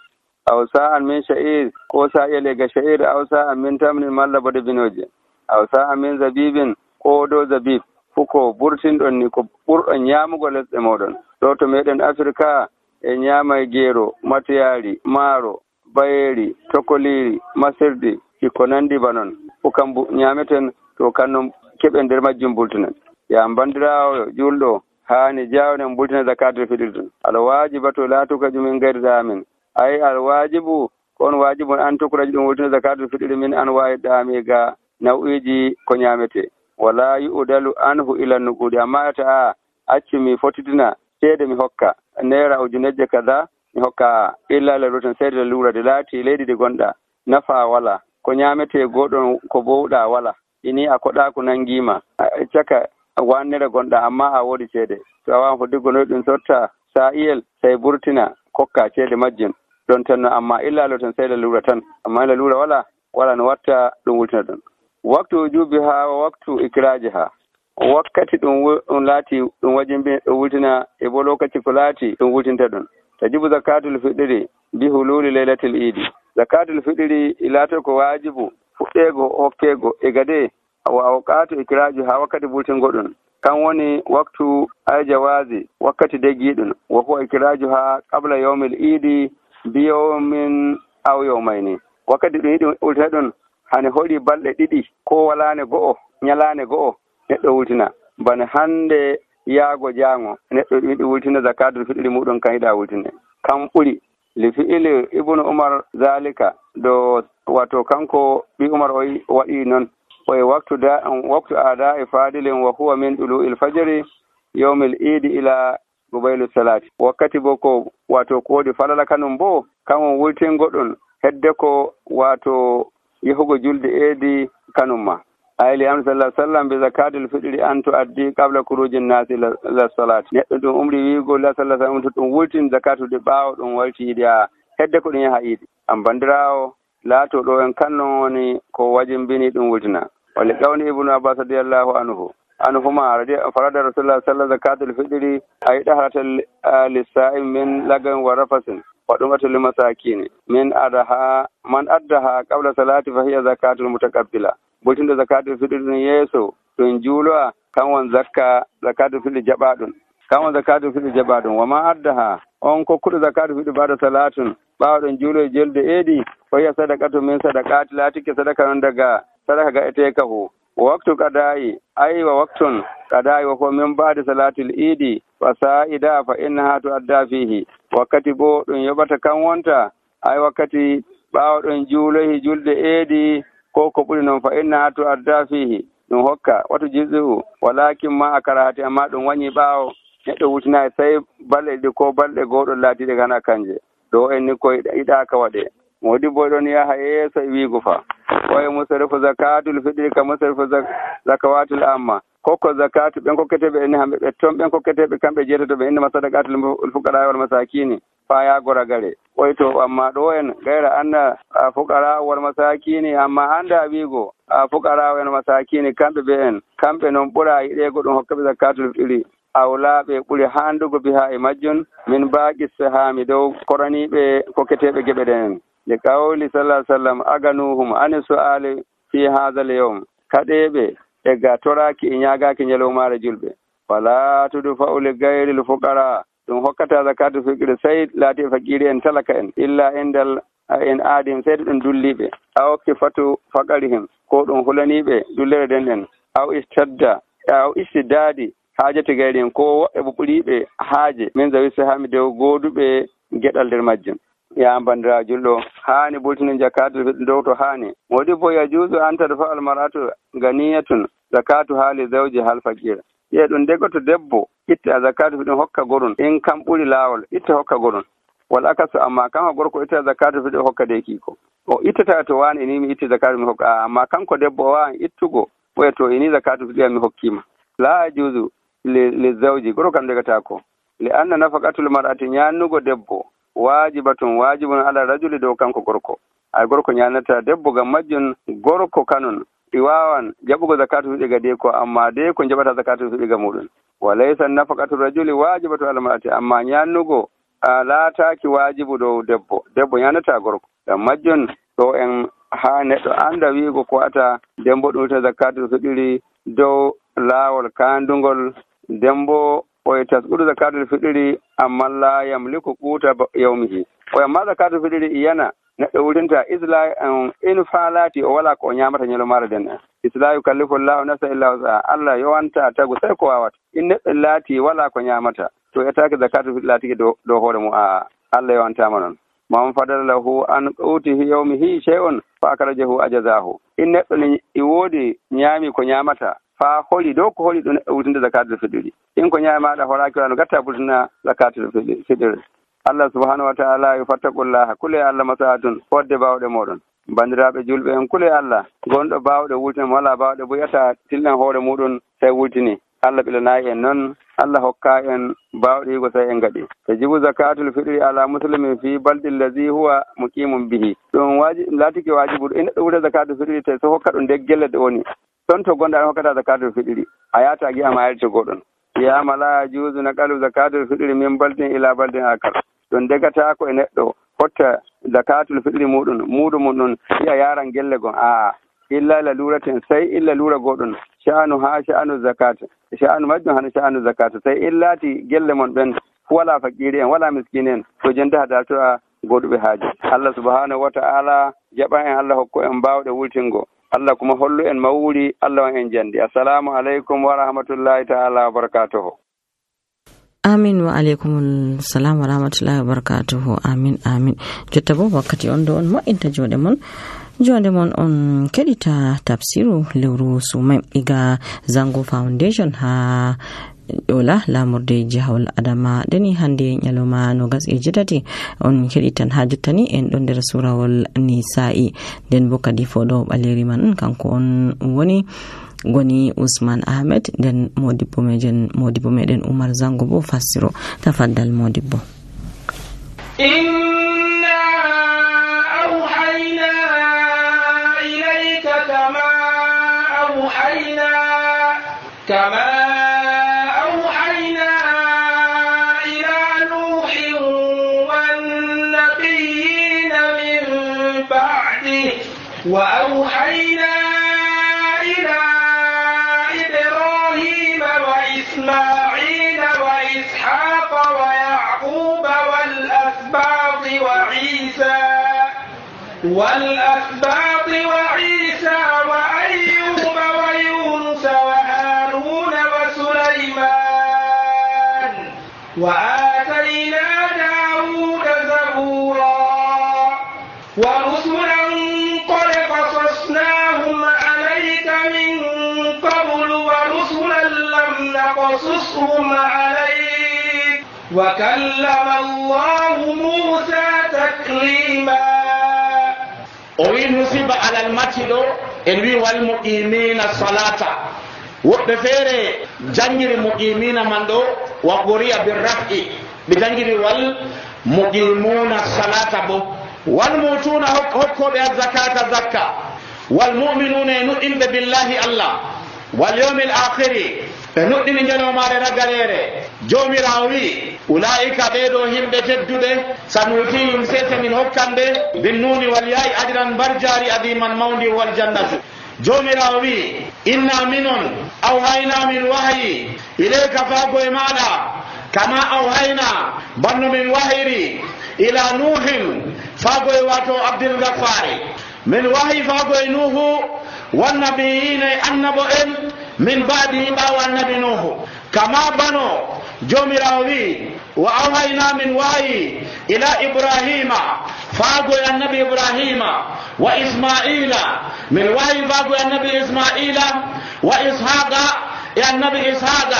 aw sa'an min sha'ir ko sa'iyel e ga sha'ir aw sa'an min tamnin malla bo debinoje aw sa'an min zabibin ko do zabib fuko burtinɗon ni ko ɓurɗo ñamugo lesɗe moɗon ɗo to meɗen afrika e ñamay geero matiyari maaro bayeri tokoliri masirdi iko nandi ba noon fo kam ñameten to kannum keɓe nder majjum bultinen ya bandirawo julɗo hani jawnen bultina zakatul fitri ɗum alwajiba to laatuka jumin gayri amin ay alwajibu kon wajibun an tukraji ɗum wurtina zakatul fitri min anwa'i dami ga nau'iji ko nyamete wala yu'dalu anhu ila nuqudi amma ta acci mi fotitina seede mi hokka naira ujunejje kaza mi hokka illa la rotan seede lura de laati leydi de gonɗa nafa wala ko nyamete goɗon ko bowɗa wala ini a koɗa ko nangima caka wannere gonɗa amma a woodi ceede to a wawan foddiggo noy ɗum sotta sa iyel say burtina kokka ceede majjum ɗon tan no amma illa lo tan seede lura tan amma ila lura wala wala no watta ɗum wultina ɗum waktu wujubi ha wa waktu ikraji ha wakkati ɗum ɗum laati ɗum wajimbi ɗum wultina e bo lokaci ko laati ɗum wultinta ɗum tajibu zakatul fitri bi hululi laylatil idi zakatul fitri ilato ko wajibu fuɗɗego hokkego e gade wa awqatu ikraji ha wakkati wultingo ɗum kan woni waktu ay jawazi wakkati degiɗum wa huwa ikraju ha qabla yawmil idi bi yawmin aw yawmayni wakkati ɗum yiɗi wultina ɗum hane hoɗi balɗe ɗiɗi ko walane go'o nyalane go'o neɗɗo wultina bana hande yaago jaango neɗɗo yiɗi wultina zakatul fitri muɗum kan yiɗa wultine kam ɓuri li fi'ili ibnu umar zalika do wato kanko bi umar o waɗi noon oye waktu da waktu ada e fadilin wa huwa min ɗulu'il fajri yawmil idi ila gubaylu salati wakkati bo ko wato ko wodi falala kanum bo kanon wultingo ɗum hedde ko wato yehugo julde eedi kanum ma ayli am sallallahu alaihi wasallam bi zakatul fitri an tuaddi qabla khurujin nasi ila salati neɗɗo ɗum umri wiigo la sallallahu alaihi wasallam to ɗum wultin zakatu de ɓaawo ɗum walti yiɗi a hedde ko ɗum yaha yiɗi am bandirawo laato ɗo en kannon woni ko wajimbini ɗum wultina wali qawli ibnu abbas radiyallahu anhu anhuma farada rasulullah sallallahu alaihi wasallam zakatul fitri ay dahratal lisa'im min lagan wa rafasin wa dumatul masakin min adaha man addaha qabla salati fa hiya zakatul mutaqabbila bultinde zakatul fitri ɗum yeeso ɗum juuloa kan won zakka zakatul fitri jaɓa ɗum kan won zakatul fitri jaɓa ɗum wama addaha on kokkuɗo zakatul fitri ba'da salatun ɓawa ɗum juulo e jelde eeɗi fa hiya sadaqatu min sadaqati latike sadaka non daga sadaka ga etekahu waktu qada'i ay wa waktun qada'i wa huwa min ba'di salatil idi fa sa'ida fa innaha tu'adda fihi wakkati bo ɗum yoɓata kan wonta ay wakkati ɓawa ɗum juulohi julde eeɗi ko ko ɓuri noon fa innaha tu'adda fihi ɗum hokka watu jizu walakin ma a karahati amma ɗum wañi ɓaawo neɗɗo wutinayi sey balɗe ɗiɗi ko balɗe goɗɗo laatiɗe gana kanje ɗo en ni koye yiɗaka waɗe modi boy ɗon yaha yeeso e wiigo fa oye musarifu zakatul fitri ka musarifu zakawatul amma kokko zakatu ɓen kokketeɓe enne hamɓe ɓe toon ɓen kokketeɓe kamɓe jeetatoɓe innama sadakatul fuqara wal masakini fa yagora gare oy to amma ɗo en gayra anna fuqara wal masakini amma anda wiigo fuqara en masakini kamɓe ɓe en kamɓe noon ɓura yiɗego ɗum hokkaɓe zakatul fitri awlaaɓe ɓuri handugo biha e majjun min baaqi sahami dow koraniɓe kokketeɓe geɓe ɗen li qawli sallallahu alaihi wasallam aganuhum ani su'ali fi hadha al-yawm kaɗeɓe e ga toraki e ñagaki ñalowmare julɓe wala tudfa'u li gayri l-fuqara ɗum hokkata zakatu fitri sey laati e fakiri en talaka en illa indal en aadim seyde ɗum dulliɓe aw kifatu faqarihim ko ɗum hulaniɓe dullere den en aw istadda aw istidadi haajati gayri ko woɓɓe ɓe ɓuriɓe haaje min zawi sahami dow gooduɓe geɗal nder majjum ya bandira julɗo haani bultini zakatu dow to haani wodi bo yajuusu an tadfa almaratu ganiyatun zakatu haali zawji hal fakir ye ɗum ndego to debbo itta zakatu ɗum hokka gorum in kam ɓuri laawol itta hokka gorum wal akasu amma kanko gorko itta zakatu ɗum hokka de kiiko o ittata to wani ini mi itti zakatu mi hokka amma kanko debbo o wawan ittugo ɓoya to ini zakatu ɗum mi hokkima la yajuusu li zawji goro kam degata ko li anna nafaqatul mar'ati nyannugo debbo wajibatun wajibun ala rajuli dow kanko gorko ay gorko nyanata debbo gam majjun gorko kanon ɗi wawan jaɓugo zakatu fiɗi ga de ko amma de ko jaɓata zakatu fiɗi ga muɗum wa laysa nafaqatul rajuli wajibatu ala mar'ati amma nyannugo laataki wajibu dow debbo debbo nyanata gorko gam majjun ɗo en ha neɗɗo anda wiigo ko ata dembo ɗum ta zakatu fiɗiri dow laawol kandugol dembo oye tasɓuɗo zakatul fitri amma la yamliku quta yawmihi o amma zakatul fitri iyana neɗɗo wurtinta isla in falati o wala ko o ñamata ñalomare den isla yukallifu llahu nafsan illa wusaha allah yowanta tagu sey ko wawata in neɗɗo laati wala ko ñamata to etake zakatul fitri laatiki dow hoore mum a allah yowantama noon man fadala lahu an qutihi yawmihi shay'un fa akrajahu ajazahu in neɗɗo ni i woodi ñaami ko ñaamata faa holi dow ko holi ɗum wurtinde zakatul fitri in ko ñaamaɗa horaaki wano gatta wurtina zakatul fitri. Allah subhanahu wa ta'ala yo fattaqullaha kule Allah masahatun fodde bawɗe moɗon bandiraɓe julɓe en kule Allah gonɗo bawɗe wurtina wala bawɗe boyata tillan hoore muɗum tawi wurtini Allah ɓilanayi en noon Allah hokka en bawɗigo tawi en gaɗi tajibu zakatul fitri ala muslimin fi baldi allazi huwa muqimun bihi ɗum waji laatiki wajibu en neɗɗo wuta zakatul fitri tawi so hokka ɗum nde gelle ɗe woni ɗon to gonɗa an hokkata zakatul fitri a yata giyama ayrto goɗon wiyama la yajuzu naqalu zakatul fitri min baldin ila baldin akar ɗum degata ko e neɗɗo hotta zakatul fitri muɗum muɗum mum ɗum yiya yaran gelle gon a illa laluraten sai illa lura goɗon sha'anu ha sha'anu zakat sha'anu majjum hana sha'anu zakat sai illati gelle mon ɓen wala fakiri en wala miskine en to jende hada to a goɗuɓe haaji Allah subhanahu wa ta'ala jaɓa en Allah hokko en mbawɗe wultingo Allah kuma hollu en mawuri Allah on en jandi assalamu aleykum wa rahmatullahi ta'ala wa barakatuhu. amin wa aleykum salam wa rahmatullahi wa barakatuhu amin amin jotta bo wakkati on do on mo'inta joɗe mon jonde mon on keɗita tafsiru lewru sumai iga Zango Foundation ha yola lamurde jihawol adama deni hande nyaloma no gas e jetati on keɗitan ha jottani en ɗon nder surawol nisa'i nden bo kadi foɗo ɓaleri man kanko on woni goni Usman Ahmed nden modibbo mejen modibbo meɗen Umar Zango bo fassiro tafaddal modibbo. inna awhayna ilayka kama awhayna kama awhayna ila nuhin wan nabiyina min ba'di wa awhayna إسماعيل وإسحاق ويعقوب والأسباط وعيسى والأسباط وعيسى وأيوب ويونس وهارون وسليمان وآتينا داود زبورا ورسلا قد قصصناهم عليك من قبل ورسلا لم نقصصهم عليك وكلم الله موسى تكليما. وينصب على المتن الوي والمقيمين الصلاة وبفير جنجر المقيمين من دو وقرئ بالرفع بجنجر والمقيمون الصلاة بو والموتون حكوا بالزكاة زكاة والمؤمنون يؤمنون بالله الله واليوم الآخر نؤمن جلو ما رغاليره جومي راوي أولئك بيدو هم بتدده سنوتيهم سيس من حكامده بالنون والياء أجرا برجاري أديما موندي والجنة جومي راوي إنا منون أوهينا من وحي إليك فاقو إمانا كما أوهينا بن من وحيري إلى نوح فاقو واتو عبد الغفار من وحي فاقو نوح والنبيين النبوين من بعد باو النبي نوح كما بنو جومراوي وأوهينا من وحي إلى إبراهيم فاقو النبي إبراهيم وإسماعيل من وحي فاقو النبي إسماعيل وإسحاق يا النبي إسحاق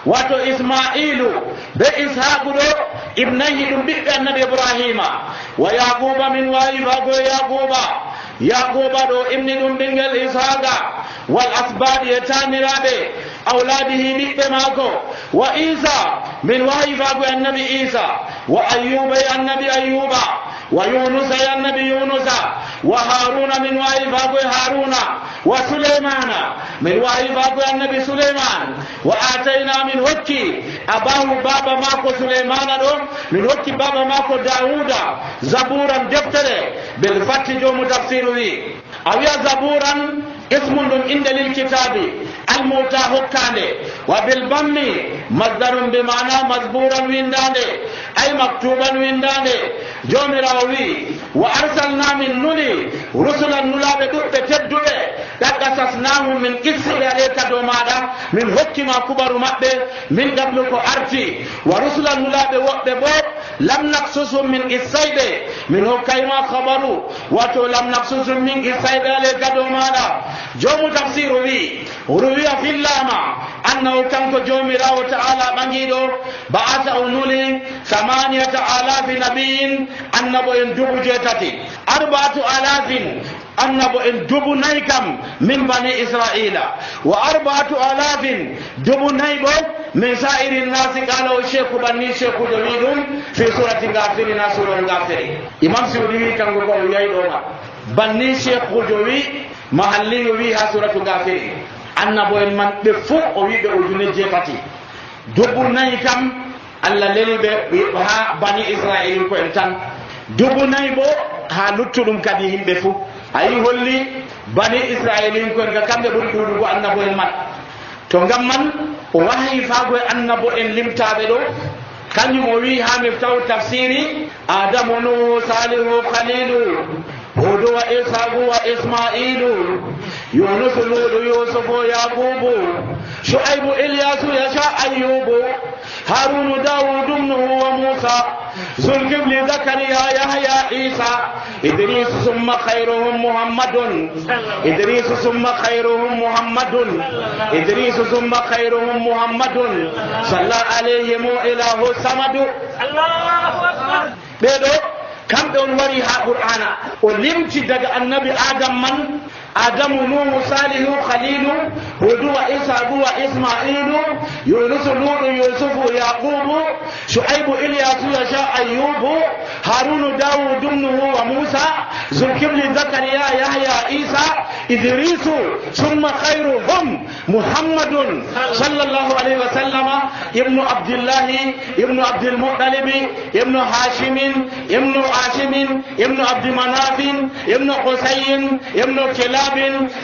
واتو إسماعيل بإسحاق ابنيه بك النبي إبراهيم ويعقوب من وحي فاقو يعقوب يعقوب دو ابن دنبنجل إسحاق والأسباط يتامرابي أولاده بك ماكو وإيسى من وحي فاقو النبي إيسى وأيوب يا النبي أيوب ويونس يا النبي يونس وهارون من وحي فاقو هارون وسليمان من وحي فاقو النبي سليمان وآتينا من وكي أباه بابا ماكو سليمان من وكي بابا ماكو داود زبورا دفتره بالفتح جو متفسيره أو يا زبورا اسم عند للكتاب الموتى هكاني وبالضم مصدر بمعنى مزبورا وينداني أي مكتوبا وينداني جوم راوي وأرسلنا من نولي رسلا نلا بدوء بتدوء تقصصناهم من قصر عليك دومادا من حكم كبر مبه من قبلك أرتي ورسلا نلا بوقت بوق lam naqsusum min qissayɓe min hokkayma habaru wato lam naqsusum min qissayɓe ale gado maɗa. jomu tafsiru wi ruwiya fillama annahu kanko jomirawo ta'ala ɓagiɗo ba'ata o nuli samaniyata alafi nabiyin annabo en dubu jeetati arba'atu alafin annabo en dubu nayi kam min bani israila wa arba'atu alafin dubu nayi bo min sa'iri nasi qala o cheikhu banni cheikhujo wi ɗum fi surati gafiri na surol gafiri. imam siudi wi kanko ko o wiyayi ɗoma banni cheikhujo wi mahalliyo wi ha suratu gafiri annabo en man ɓe fof o wi ɓe ujune jeetati dubu nayi kam allah leli ɓe ha bani israil ko en tan dubu nayi bo ha luttuɗum kadi yimɓe fof ayi holli bani israilin ko en ka kamɓe ɓuri ɗuɗugo annabo en man. to ngam man o wahayi faago e annabo en limtaɓe ɗo kanjum o wi ha miftahu tafsiri adamu nuhu salihu khalilu hudu wa isagu wa ismailu yunusu ludu yusufu yaqubu shu'aibu ilyasu yasha ayyubu harunu dawudu nuhu wa musa zulkifli zakariya yahya isa idris summa khairuhum muhammadun idris summa khairuhum muhammadun idris summa khairuhum muhammadun salla alayhim ilahu samadu. Allahu akbar. ɓeɗo kamɓe on wari ha qur'ana o limti daga annabi adam man adamu nuhu salihu khalilu hudu wa isagu wa ismailu yunusu ludu yusufu yaqubu shu'aibu ilyasu yasha ayyubu harunu dawudu nuhu wa musa zulkifli zakariya yahya isa idrisu summa khairuhum muhammadun sallallahu alaihi wa sallama ibnu abdillahi ibnu abdul muttalibi ibnu hashimin ibnu hashimin ibnu abdi manafin ibnu qusayin ibnu kilab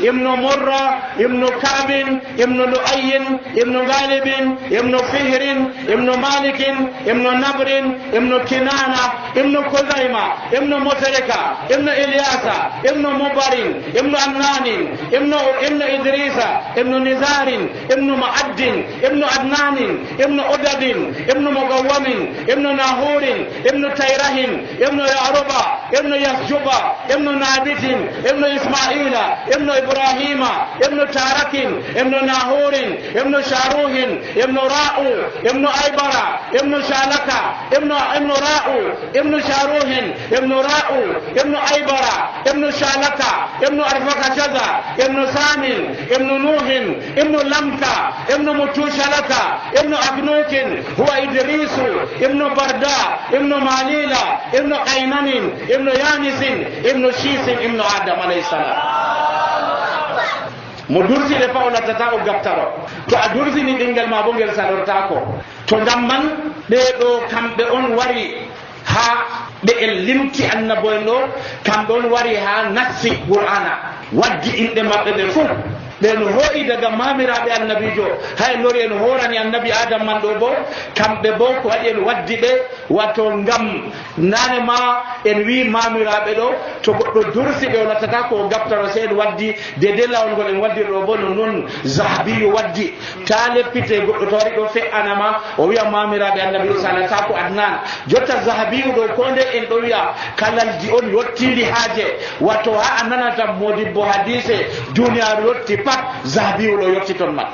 ibnu murra ibnu kabin ibnu lu'ayin ibnu galibin ibnu fihrin ibnu malikin ibnu nabrin ibnu kinana ibnu kuzaima ibnu mutarika ibnu ilyasa ibnu mubarin ibnu annanin ibnu ibnu idrisa ibnu nizarin ibnu ma'addin ibnu adnanin ibnu udadin ibnu mugawwamin ibnu nahurin ibnu tayrahin ibnu yaruba ibnu yasjuba ibnu nabitin ibnu ismaila ابن إبراهيم ابن تارك ابن ناهور ابن شاروه ابن راؤ ابن أيبرا ابن شالكا ابن ابن راؤ ابن شاروه ابن راؤ ابن أيبرا ابن شالكا ابن أرفق شذا ابن سامن ابن نوح ابن لمكا ابن متوشلكا ابن أبنوك هو إدريس ابن بردا ابن ماليلا ابن قينان ابن يانس ابن شيس ابن آدم عليه السلام. mo durside fa o lattata o gaftaro to a dursini ɗinguel ma bo ngel salorta ko to ngam man ɓeɗo kamɓe on wari ha ɓe en limti annabo en ɗo kamɓe on wari ha nassi qur'ana waddi inɗe maɓɓe ɓe fof ɓen hoyi daga mamiraɓe annabijo hay lori en horani annabi adam man ɗo bo kamɓe bo ko waɗi en waddi ɓe wato ngam nane ma en wi mamiraɓe ɗo to goɗɗo dursi ɓe o lattata ko gaftaro se en waddi dede lawol ngol en waddir ɗo bo no noon zahabiyo waddi ta leppite goɗɗo to waɗi ɗo fe'anama o wiya mamiraɓe annabi salata ko adnan jotta zahabiyo ɗo ko nde en ɗo wiya kalaldi on yottiri haaje wato ha a nanata modibbo hadise duniyaru yotti pat zahabiyo ɗo yotti toon man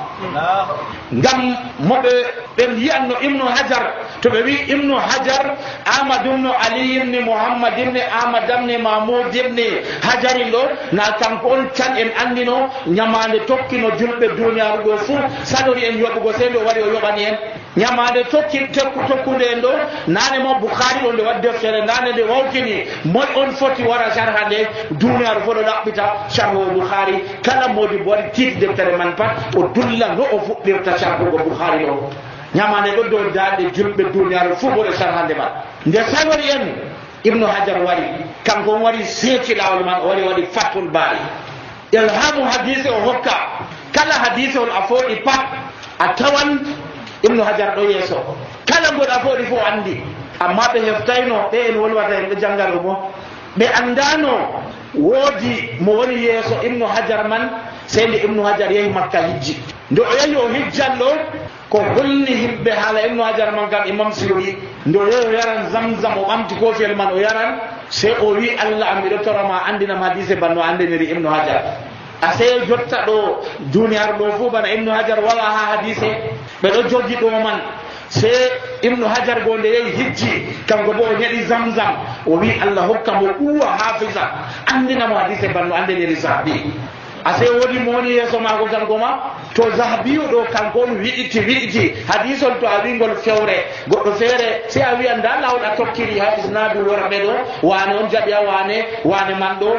ngam moɓe ɓen yiyanno ibnu hajar to ɓe wi ibnu hajar ahmad ibnu ali ibni mouhammad ibni ahmad ibni mahmoud ibni hajari ɗo na kanko on tan en andino ñamande tokkino julɓe duniyaru ɗo fuu saɗori en yoɓugo sey nde o waɗi o yoɓani en ñamande tokki tokkude en ɗo nane mo boukhari ɗo nde waɗi deftere nane nde wawtini moy on foti wara sarha nde duniyaru fo ɗo ɗaɓɓita sarho boukhari kala modi bo waɗi tiiti deftere man pat o dulla no o fuɗɗirta sarhugo boukhari ɗo ñamande ɗo dow daaɗe julɓe duniyaru fuu boɗo sarhande man nde sawori en ibnu hajar wari kanko on wari seeci lawol man o wari waɗi fatul baari ilhamu hadise o hokka kala hadise on a fooɗi pat a tawan ibnu hajar ɗo yeeso kala ngoɗo a fooɗi fof andi amma ɓe heftayno ɓe en wolwata en ɓe janggal mo ɓe andano woodi mo woni yeeso ibnu hajar man sey nde ibnu hajar yehi makka hijji nde o yehi o hijjan ɗo ko holni himɓe haala ibnu hajar man kam imam suyuɗi nde o yehi o yaran zamzam o ɓamti kofiyel man o yaran sey o wi allah am miɗo torama andinam hadise banno andeniri ibnu hajar a sey jotta ɗo duniyaru ɗo fuu bana ibnu hajar wala ha hadise ɓeɗo jogi ɗo man sey ibnu hajar go nde yehi hijji kanko bo o ñaɗi zamzam o wi allah hokka mo ɓuwa hafisa andinamo hadise banno andeniri sahbi a sey woodi mo woni yeeso maako kanko ma to zahabiyu ɗo kanko on wiɗiti wiɗiti hadisol to a wingol fewre goɗɗo feere si a wiyan nda lawol a tokkiri ha isnadu worɓe ɗo wane on jaɓiya wane wane man ɗo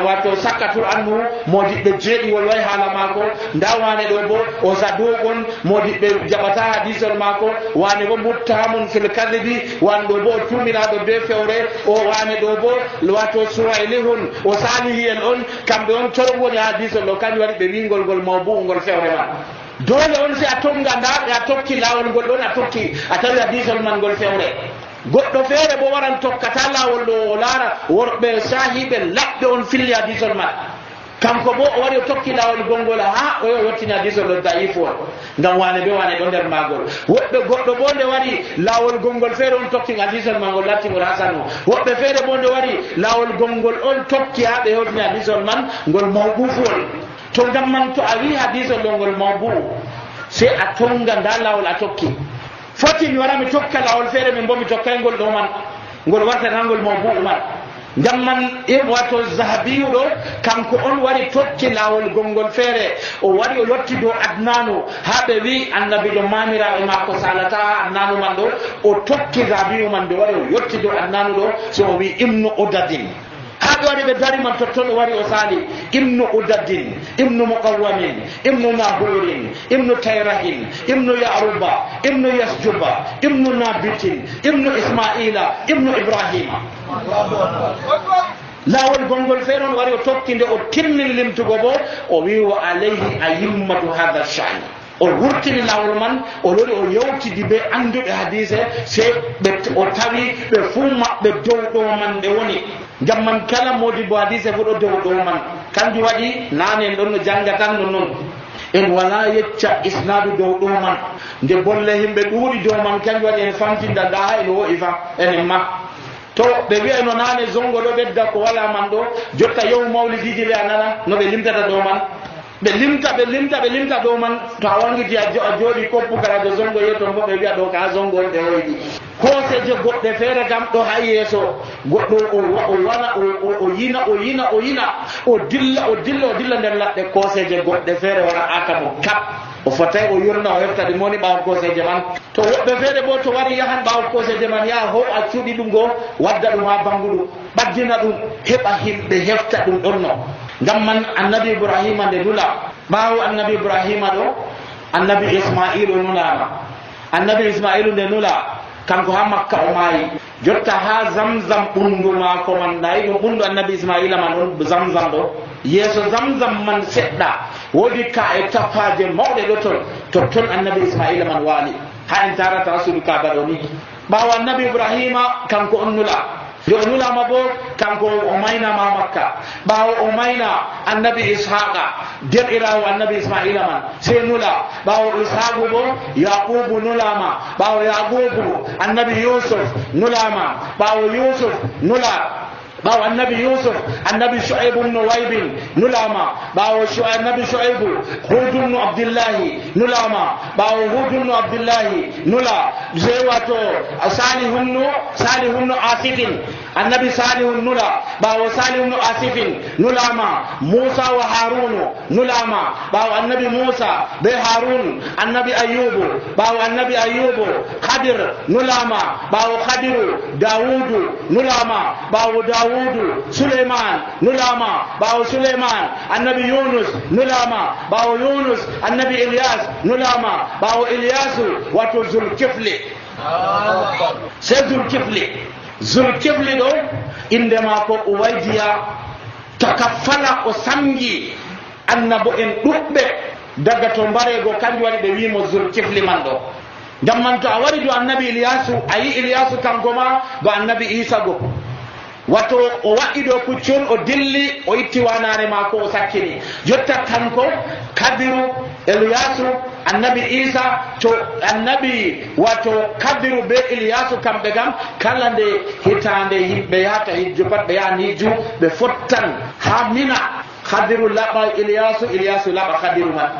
wato sakkatul annu modiɓɓe jeeɗiwol way haala maako nda wane ɗo bo o sadugon modiɓɓe jaɓata hadisol maako wane bo muttamun fil kadibi wane ɗo bo o tumiraɗo be fewre o wane ɗo bo wato suwaylihun o salihiyel on kamɓe on toron woni hadisol ɗo kañum waɗi ɓe wingol ngol mawbu ngol fewre man dole on si a tonga nda a tokki lawol ngol ɗon a tokki a tawi hadisol man ngol fewre goɗɗo feere bo waran tokkata lawol ɗo o laara worɓe sahiɓe laɓɓe on filli hadisol man kanko bo o wari o tokki lawol gongol ha o yottini hadisol ɗo daifu on ngam wane be wane ɗo nder magol woɓɓe goɗɗo bo nde wari lawol gongol feere on tokki hadisol man ngol lattigol hasanu woɓɓe feere bo nde wari lawol gongol on tokki ha ɓe hewtini hadisol man ngol mawɓufuwol to ngam man to a wi hadisol ɗo ngol mawbu sey a tonga nda lawol a tokki foti mi wara mi tokka lawol feere min bo mi tokkay ngol ɗo man ngol wartata ngol mawbu man ngam man e wato zahabiyu ɗo kanko on wari tokki lawol gongol feere o wari o yotti dow adnanu ha ɓe wi annabi ɗo mamiraɓe makko salata ha adnanu man ɗo o tokki zahabiyu man nde wari o yotti dow adnanu ɗo so o wi ibnu udadin ha ɓe wari ɓe dari man totton o wari o sali ibnu udadin ibnu muqawamin ibnu nahurin ibnu tayrahin ibnu yaruba ibnu yasjuba ibnu nabitin ibnu ismaila ibnu ibrahima lawol gongol feere on wari o tokkinde o timmin limtugo bo o wi wa alayhi ayimmatu hada shani o wurtini lawol man o lori o yewtidi be anduɓe hadise sey ɓe o tawi ɓe fuu maɓɓe dow ɗo man ɓe woni ngam man kala modibo hadise fo ɗo dow ɗo man kanjum waɗi nane en ɗon no janga tan no noon en wala yecca isnadu dow ɗo man nde bolle yimɓe ɗuuɗi dow man kanjum waɗi en famtinda nda ha en wo'i fa enen ma to ɓe wiya no nane zongo ɗo ɓedda ko wala man ɗo jotta yewu mawlidiji ɓe a nana no ɓe limtata ɗo man ɓe limta ɓe limta ɓe limta ɗo man to a wangiti a jooɗi koppugarajo zongo yetton fo ɓe wiya ɗo ka zongo on ɓe hoyɗi koseje goɗɗe feere kam ɗo ha yeeso goɗɗo o wana o yina o yina o yina o dilla o dilla o dilla nder laɗɗe koseje goɗɗe feere wara aka mo kap o fotay o yurna o hefta ɗum woni ɓawo koseje man to woɓɓe feere bo to wari yahan ɓawo koseje man yaha ho a cuuɗi ɗum go wadda ɗum ha banguɗum ɓaddina ɗum heɓa himɓe hefta ɗum ɗonno ngam man annabi ibrahima nde nula ɓawo annabi ibrahima ɗo annabi ismailu nulama annabi ismailu nde nula kanko ha makka o maayi jotta ha zamzam ɓundu maako man ɗayi ɗum ɓundu annabi ismaila man on zamzam ɗo yeeso zamzam man seɗɗa woodi ka e tappaje mawɗe ɗo ton to ton annabi ismaila man waali ha en tarata rasudu kaba ɗo ni ɓawo annabi ibrahima kanko on nula nde o nulama bo kanko o maynama makka ɓawo o mayna annabi ishaqa derɗirawo annabi ismaila man sey nula ɓawo ishaqu bo yaqubu nulama ɓawo yaqubu annabi yusuf nulama ɓawo yusuf nula ɓawo annabi yusuf annabi shu'aibu bnu waybin nulama ɓawo annabi shu'aibu hudu bnu abdillahi nulama ɓawo hudu bnu abdillahi nula sey wato salihunnu salihunnu asifin annabi salihun nula ɓawo salihunnu asifin nulama musa wa harunu nulama ɓawo annabi musa be harun annabi ayyubu ɓawo annabi ayyubu khadir nulama ɓawo khadiru dawudu nulama ɓawo dawudu suleiman nulama ɓawo suleiman annabi yunus nulama ɓawo yunus annabi ilyas nulama ɓawo ilyasu wato zulkifli se zulkifli zulkifli ɗo inde maako uwaydiya takaffala o samgi annabo en ɗuɓɓe daga to mbarego kanjum waɗi ɓe wimo zulkifli man ɗo ngam man to a wari do annabi ilyasu a yi ilyasu kanko ma ba annabi isa go wato o waɗi ɗo puccol o dilli o itti wanare maako o sakkini jotta kanko kadiru eliyasu annabi isa to annabi wato kadiru be iliyasu kamɓe kam kala nde hitande yimɓe yahata hijju pat ɓe yahan hijju ɓe fottan ha mina kadiru laɓa iliyasu iliyasu laɓa kadiru man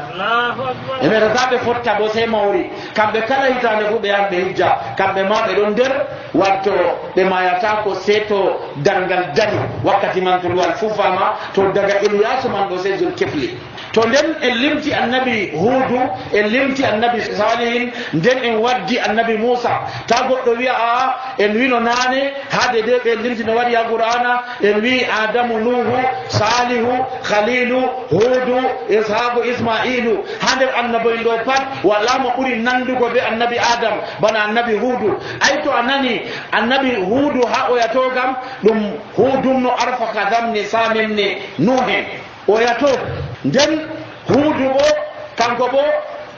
e metata ɓe fotta bo sey mawri kamɓe kala hitande fu ɓe yahan ɓe hijja kamɓe ma ɓe ɗon nder watto ɓe mayata ko seeto dargal dari wakkati man to luwal fufama to daga iliyasu man ɗo sey zulkifli to nden en limti annabi huudu en limti annabi salihin nden en waddi annabi moussa ta goɗɗo wiya aa en wino naane haade de ɓe limti no waɗi ha qur'ana en wi adamu nuhu salihu khalilu huudu ishaku ismailu ha nder annaboyen ɗo pat wala mo ɓuri nandugo be annabi adam bana annabi huudu ay to a nani annabi huudu ha oyato kam ɗum huudumno arfa kadamni saminni nuhen oyato nden huudu bo kanko bo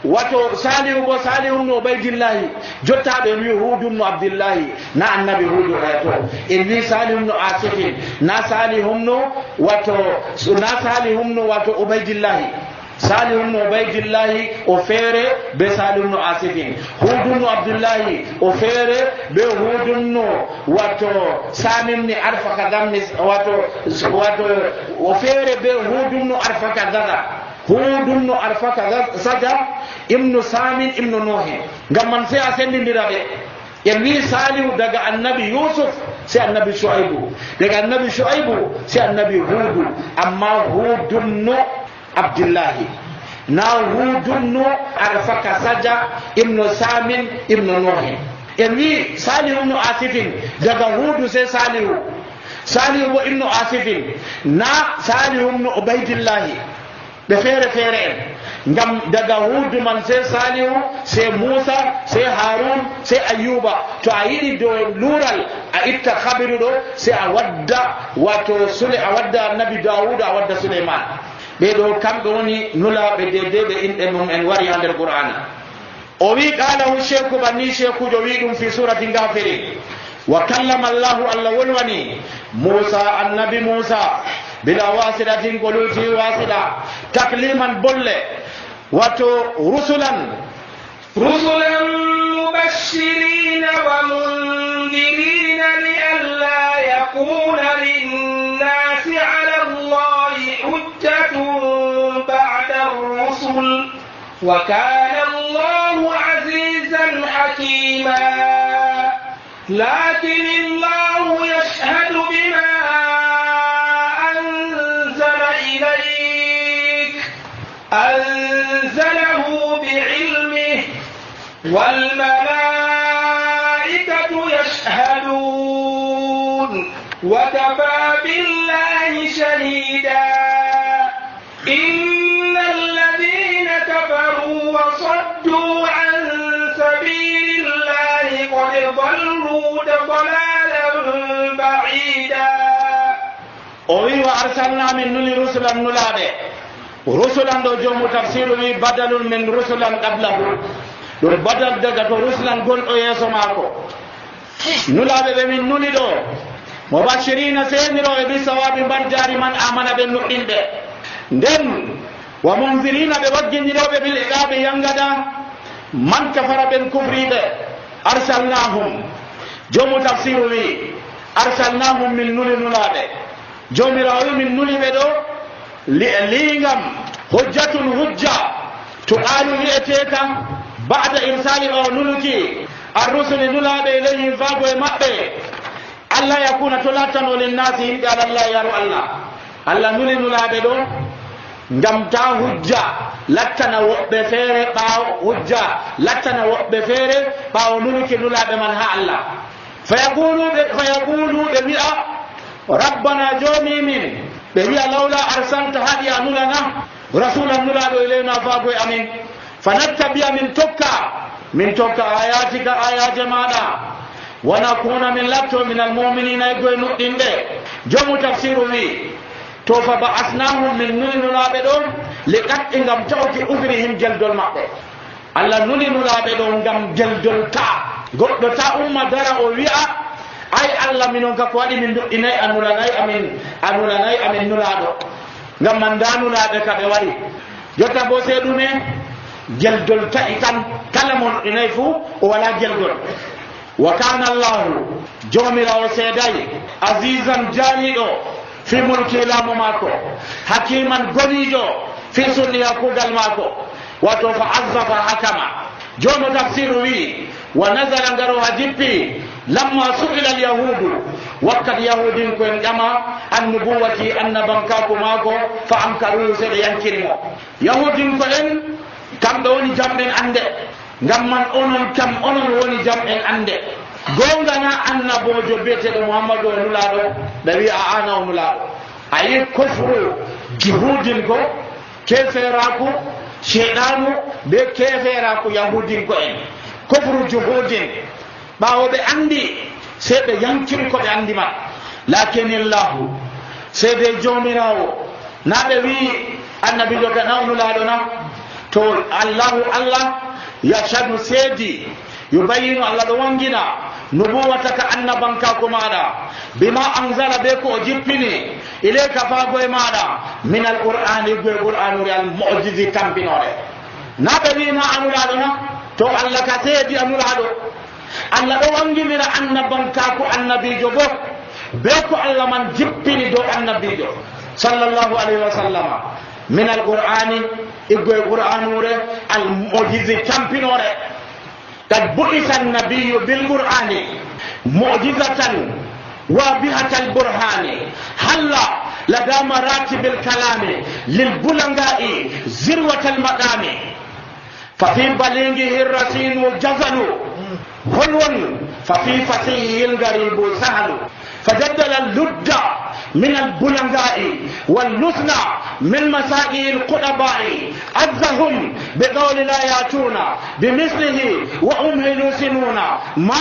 wato salihu bo salihu no ubaydillahi jottaɓe wi huudu no abdillahi na annabi huudu oyato en wi salihu no asifin na salihu no wato na salihu no wato ubaydillahi salihu no ubaydillahi o feere be salihu no asifin huudu no abdullahi o feere be huudu no wato samimni arfaka gamni wato wato o feere be huudu no arfaka gaga huudu no arfaka saga ibnu samin ibnu nuhin ngam man sai a sendindira ɓe en wi salihu daga annabi yusuf sai annabi shu'aibu daga annabi shu'aibu sai annabi huudu amma huudu no abdullahi na hudunno arfaka saja ibnu samin ibnu nuhin en wi salihu ibnu asifin daga hudu sai salihu salihu bo ibnu asifin na salihu ibnu ubaidillahi ɓe feere feere en ngam daga hudu man sai salihu sai musa sai harun sai ayuba to a yiɗi dow lural a itta habiru ɗo sai a wadda wato sule a wadda annabi dawuda a wadda suleyman ɓeɗo kamɓe woni nulaɓe dede ɓe inɗe mum en wari ha nder qur'ana o wi qalahu cheikhu banni cheikhujo wi ɗum fi surati gafiri wa kallama allahu allah wolwani musa annabi musa bila wasidatin ko luti wasida takliman bolle wato rusulan rusulan mubashirina wa mundirina li alla yakuna linnasi ala allahi hujjatun ba'da ar-rusul wa kana allahu azizan hakima lakin allahu yashhadu bima أنزله بعلمه والملائكة يشهدون وكفى بالله شهيدا إن الذين كفروا وصدوا عن سبيل الله قد ضلوا ضلالا بعيدا أوي وأرسلنا من نور رسلا نلابه rusulan ɗo jomu tafsiru wi badalun min rusulan qablahu ɗum badal daga to rusulan gonɗo yeeso maako nulaɓe ɓe min nuli ɗo mubashirina seniroɓe bi sawabi mbar jari man amana ɓe nuɗɗinɓe nden wa munzirina ɓe waggindiroɓe bil iqaɓe yangada man kafara ɓen kufriɓe arsalnahum jomu tafsiru wi arsalnahum min nuli nulaɓe jomirawo wi min nuliɓe ɗo liingam hujjatun hujja to qaalu wi'ete kam ba'da irsali o nuluki arrusuli nulaaɓe ilayhim faago e maɓɓe allah yakuna to lattano linnasi yimɓe alallah yaru allah allah nuli nulaaɓe ɗo ngam ta hujja lattana woɓɓe feere ɓaawo hujja lattana woɓɓe feere ɓaawo nuluki nulaaɓe man ha allah fa yaquluɓe wi'a rabbana joomi min ɓe wiya lawla arsalta haɗi a nulana rasulan nulaɗo ilayna faagoye amin fa nattabiya min tokka min tokka ayatika ayaje maɗa wa nakuna min latto min almuminina e goye nuɗɗinɓe jomu tafsiru wi to fa ba'asnahum min nuli nulaɓe ɗon li qat'i ngam tawki ufrihim geldol maɓɓe allah nuli nulaɓe ɗo ngam geldol ta goɗɗo ta umma dara o wi'a ay allah minon ka ko waɗi min duɗɗinayi a nulanayi amin a nulanayi amin nulaɗo ngam man nda nulaɓe ka ɓe waɗi jotta bo se ɗume geldol ta'i tan kala mo noɗɗinayi fuu o wala geldol. wa kana allahu jomirawo seedayi azizan jaliɗo fi mulki laamu maako hakiman goniɗo fi sunniya kuugal maako wato fa azza fa hakama. jono tafsiru wi wa nazala ngaro ha jippi lamma su'ila alyahudu wakkati yahudin ko en ƴama annubuwati annabankaku maako fa ankaru seɗe yankirimo. yahudin ko en kamɓe woni jamɗen ande ngam man onon kam onon woni jamɗen ande. gongana annabojo biyeteɗo muhammadu o nulaɗo ɓe wi a ana o nulaɗo. a yi kofru juhudin ko keferaku sheɗanu be keferaku yahudin ko en kofru juhudin ɓawo ɓe andi sey ɓe yankiri ko ɓe andi man. lakinillahu seede jomirawo na ɓe wi annabijo ka na o nulaɗo na to allahu allah yashadu seedi yubayinu allah ɗo wangina nubuwataka annabankako maɗa bima anzala be ko o jippini ilayka faago e maɗa min alqur'ani goe qur'anure al mu'jizi tampinore. na ɓe wina anulaɗo na to allah ka seedi anulaɗo. allah ɗo wanginira annabankako annabijo bo be ko allah man jippini dow annabijo sallallahu alayhi wa sallama min alqur'ani iggoye qur'anure al mu'jizi tampinore. قد بعث النبي بالقرآن معجزة وابهة البرهان هلا لدى مراتب الكلام للبلغاء ذروة المقام ففي بليغه الرصين جزل حلو ففي فصيحه الغريب سهل فجدل اللد من البلغاء واللسنى من مسائل القرباء أذهم بقول لا يأتون بمثله وهم يلوسنون ما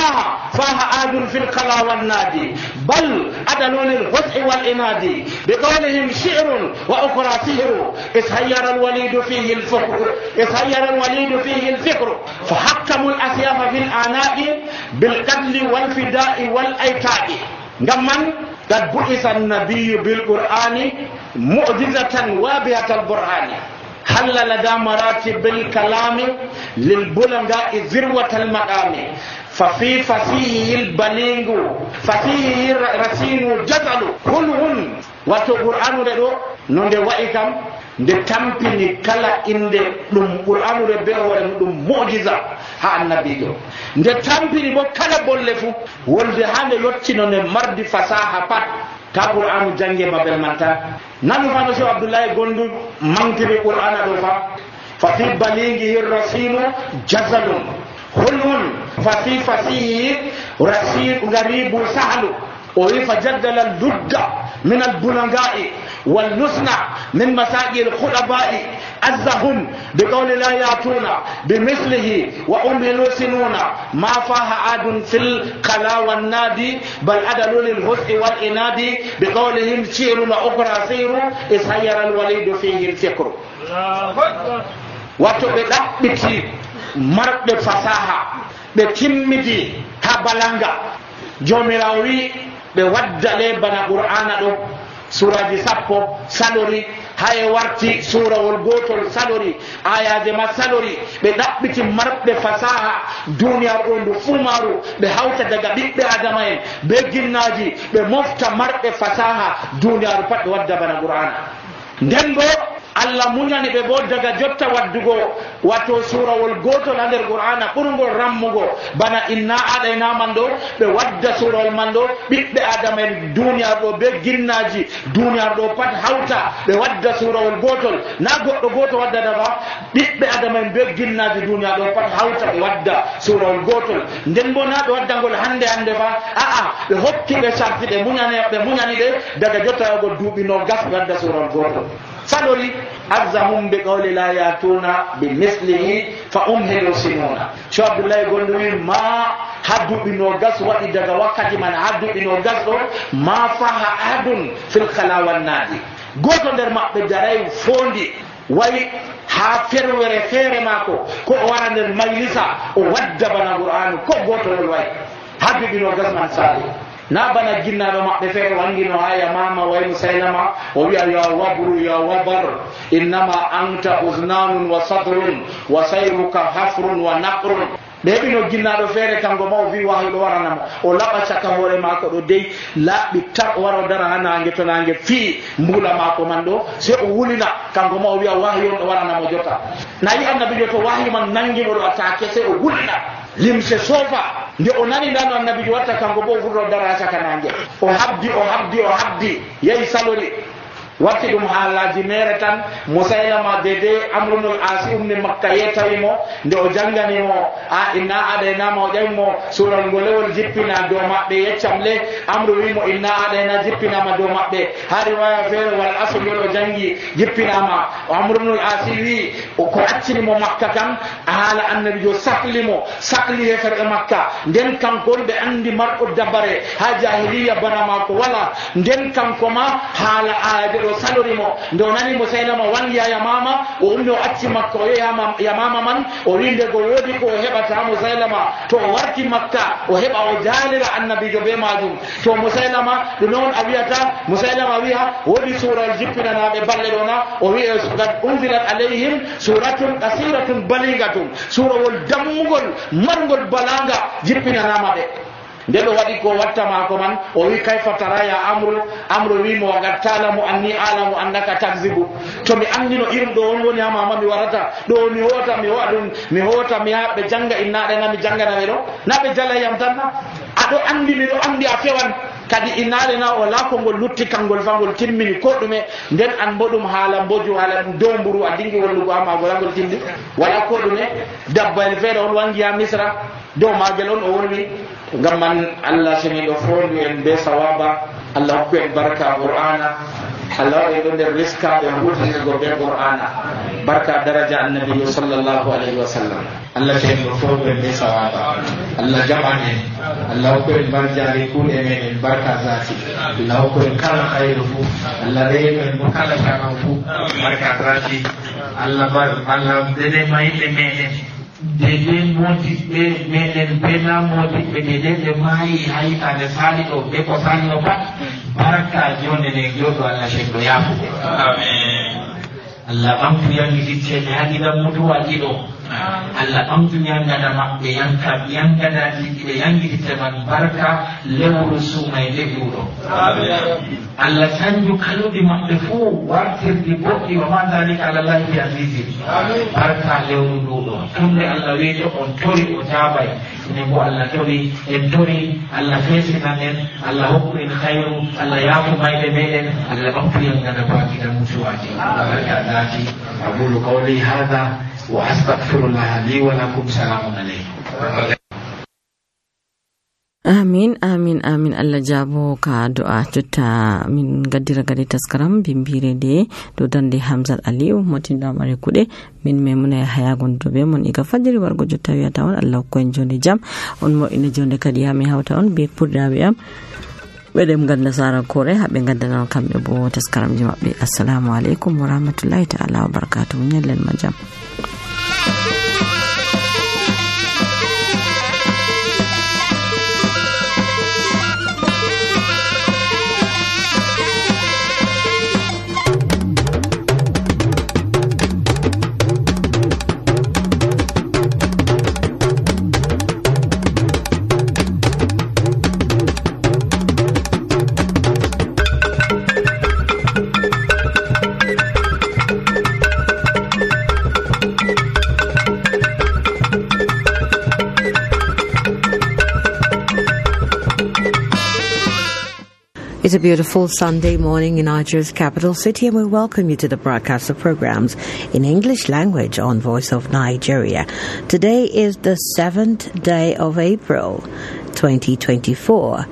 فاه آد في القلا والنادي بل أدلون الحسء والإناد بقولهم شعر وأخرى سحر إسهير الوليد فيه الفكر إسهير الوليد فيه الفكر فحكموا الأسياف في الآناء بالقتل والفداء والأيتاء. نعم قد بعث النبي بالقرآن معجزة وابهة البرهان هل لدى مراتب الكلام للبلغاء ذروة المقام ففي فصيحه البليغ فصيحه الرصين جزل كلهن واتو قرآن ردو نونde wa'i kam nde tampini kala inde ɗum qur'anure be hoore ɗum mu'jiza ha annabijo nde tampini bo kala bolle fu wolde ha nde yottino nde mardi fasaha pat ka qur'anu jange babel man tan. nanu fano cheikh abdoullahi gondu mantiri qur'ana ɗo fa fa fi balighihi rasinu jazalun hulun fa fi fasihi rasin garibu sahlu o wi fa jaddala ludda min albulaga'i واللسنى من مساجد الخطباء أزهم بقول لا يأتون بمثله وهم يلوسنون ما فاه عاد في القلا والنادي بل أدلوا للحسن والإناد بقولهم شعر وأخرى سير إذ هير الوليد فيه الفكر. وتبدأ بتي مرد فصاحة بتمدي هبلانغا جوميراوي بودل بنا قرآن suraji sappo salori hay warti surawol gotol salori ayaje ma salori ɓe ɗaɓɓiti marɓe fasaha duniyaru ɗo ndu fumaru ɓe hawta daga ɓiɓɓe adama en be ginnaji ɓe mofta marɓe fasaha duniyaru pat ɓe wadda bana qur'ana. nden bo allah muñani ɓe bo daga jotta waddugo wato surawol gotol ha nder qur'ana ɓurgol rammugo bana inna aɗaynaman ɗo ɓe wadda surawol man ɗo ɓiɓɓe adama en duniyaru ɗo be ginnaji duniyaru ɗo pat hawta ɓe wadda surawol gotol na goɗɗo goto waddata fa ɓiɓɓe adama en be ginnaji duniyaru ɗo pat hawta ɓe wadda surawol gotol. nden bo na ɓe waddangol hande hande fa aa ɓe hokki ɓe sarti ɓe muñani ɓe muñani ɗe daga jotta yago duuɓi no gas ɓe wadda surawol gotol salori azzahum bi qawli la yatuna bi mislihi fa umhilu sinuna. Cheikh Abdoulaye Gondo wi ma hadduɓi no gas waɗi daga wakkati man hadduɓi no gas ɗo ma faha ahadun fil khala wan nadi goto nder maɓɓe daray fondi wayi ha ferwere feere mako ko o wara nder majlisa o wadda bana qur'anu ko goto wol wayi hadduɓi no gas man saali na bana jinnaɗo maɓɓe feere wangino ha yamama way musaylama o wiya ya wabru ya wabar innama anta uznanun wa sadrun wa sayruka hafrun wa naqrun ɓe heɓino jinnaɗo feere kanko ma o wi wahyu ɗo waranamo o laɓa caka hoore maako ɗo dey laaɓi tar o wara o dara ha nangue to nangue fii mbula maako man ɗo se o wulina kanko ma o wiya wahyu on ɗo waranamo jotta nayi annabijo to wahyu man nanguimo ɗo attaque se o wulina limse soofa nde o nani ndano annabijo watta kanko bo o furto dara ha caka nangue o habdi o habdi o habdi yehi salori watti ɗum haalaji mere tan musaylama dede amrunul asi umni makka yetawimo nde o janganimo a inna aɗaynama o ƴawimo sural ngolewol jippina dow maɓɓe yeccam le amru wimo inna aɗayna jippinama dow maɓɓe ha riwaya feere wal asugol o jangi jippinama amrunul asi wi ko accinimo makka kam haala annabijo sahlimo sahli hefere makka nden kankol ɓe andi marɗo dabare ha jahiliya bana mako wala nden kanko ma haala aaje ɗo salorimo nde o nani musaylama wangiya yamama o ummi o acci makka o yehi yamama man o wi nde go woodi ko o heɓata musaylama to o warti makka o heɓa o jaalira annabijo be majum to musaylama ɗum noon a wiyata musaylama wiya woodi sural jippinanaɓe balle ɗo na o wi qad unzilat alayhim suratun qasiratun baligatun surawol dammugol margol balaga jippinanama ɓe nde ɗo waɗi ko wattama ko man o wi kayfa taraya amru amru wimo wagad talamu anni alamu annaka takzibu to mi andino irum ɗo on woni ha mama mi warata ɗo mi hota mi howa ɗum mi hota mi ha ɓe janga innaɗe na mi janganaɓe ɗo na ɓe jalayam tan na aɗo andi miɗo andi a fewan kadi innaɗe na o la kongol lutti kangol fangol timmini ko ɗume nden an bo ɗum haala mboju haala ɗum dow mburu a dingi wallugo ha magol angol timmi wala ko ɗume dabbayel feere on wangi ha misra dow magel on o wonwi ngam man allah seni ɗo fondu en be sawaba allah hokku en barka qur'ana allah waɗi ɗo nder riskaɓe hutinirgo be qur'ana barka daraja annabiyo sallllahu alayhi wa sallam allah seni ɗo fondu en be sawaba allah jaɓan en allah hokku en barjari kuuɗe meɗen barka zati allah hokku en kala hayru fu allah reyno en mo kala saman fu barka zati allah allah dene mayɓe meɗen dede motiɓɓe meɗen bena motiɓɓe dede ɓe maayi ha hitande sali ɗo ɓe ko sali o pat baraka jonde nde joɗo allah shenɗo yafuɓe allah ɓamtu yangititteɓe ha giɗan mutuwa ɗiɗo allah ɓamtu yangada maɓɓe yanka yangada ɓe yangititte man barka lewru sumayde ɗuɗo allah canju kaluɗi maɓɓe fuu wartirdi boɗɗi wa ma dalika alallahi bi azizi barka lewru nduɗo tumde allah weeto on tori o jaabay ene bo allah tori en tori allah feesinan en allah hokku en hayru allah yaafu mayɓe meɗen allah ɓamtu yangada bakida mutuwaji barka dati aqulu qawli hada wa astaghfirullah li wa lakum salamun alaykum. amin amin amin allah jabo ka du'a jotta min gaddira gadi taskaram bimbire de do dande Hamzat Aliyu motinda mare kude min memuna haya gondo be mon iga fajiri wargo jotta wiata on allah ko en jonde jam on mo ina jonde kadi ha mi hawta on be purdabe am ɓeɗem ganda sara kore haɓe gandana kamɓe bo taskaramji maɓɓe. Assalamu alaikum wa rahmatullahi ta'ala wa barakatuh. Nyallen ma jam. It's a beautiful Sunday morning in Nigeria's capital city, and we welcome you to the broadcast of programs in English language on Voice of Nigeria. Today is the seventh day of April, twenty twenty-four.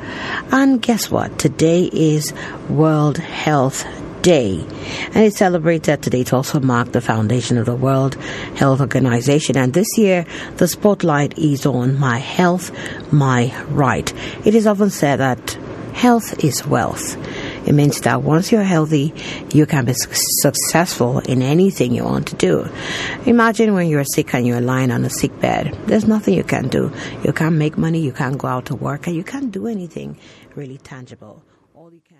And guess what? Today is World Health Day, and it's celebrated today to also mark the foundation of the World Health Organization. And this year, the spotlight is on My Health, My Right. It is often said that health is wealth. It means that once you're healthy, you can be su- successful in anything you want to do. Imagine when you're sick and you're lying on a sick bed. There's nothing you can do. You can't make money, you can't go out to work, and you can't do anything really tangible. All you can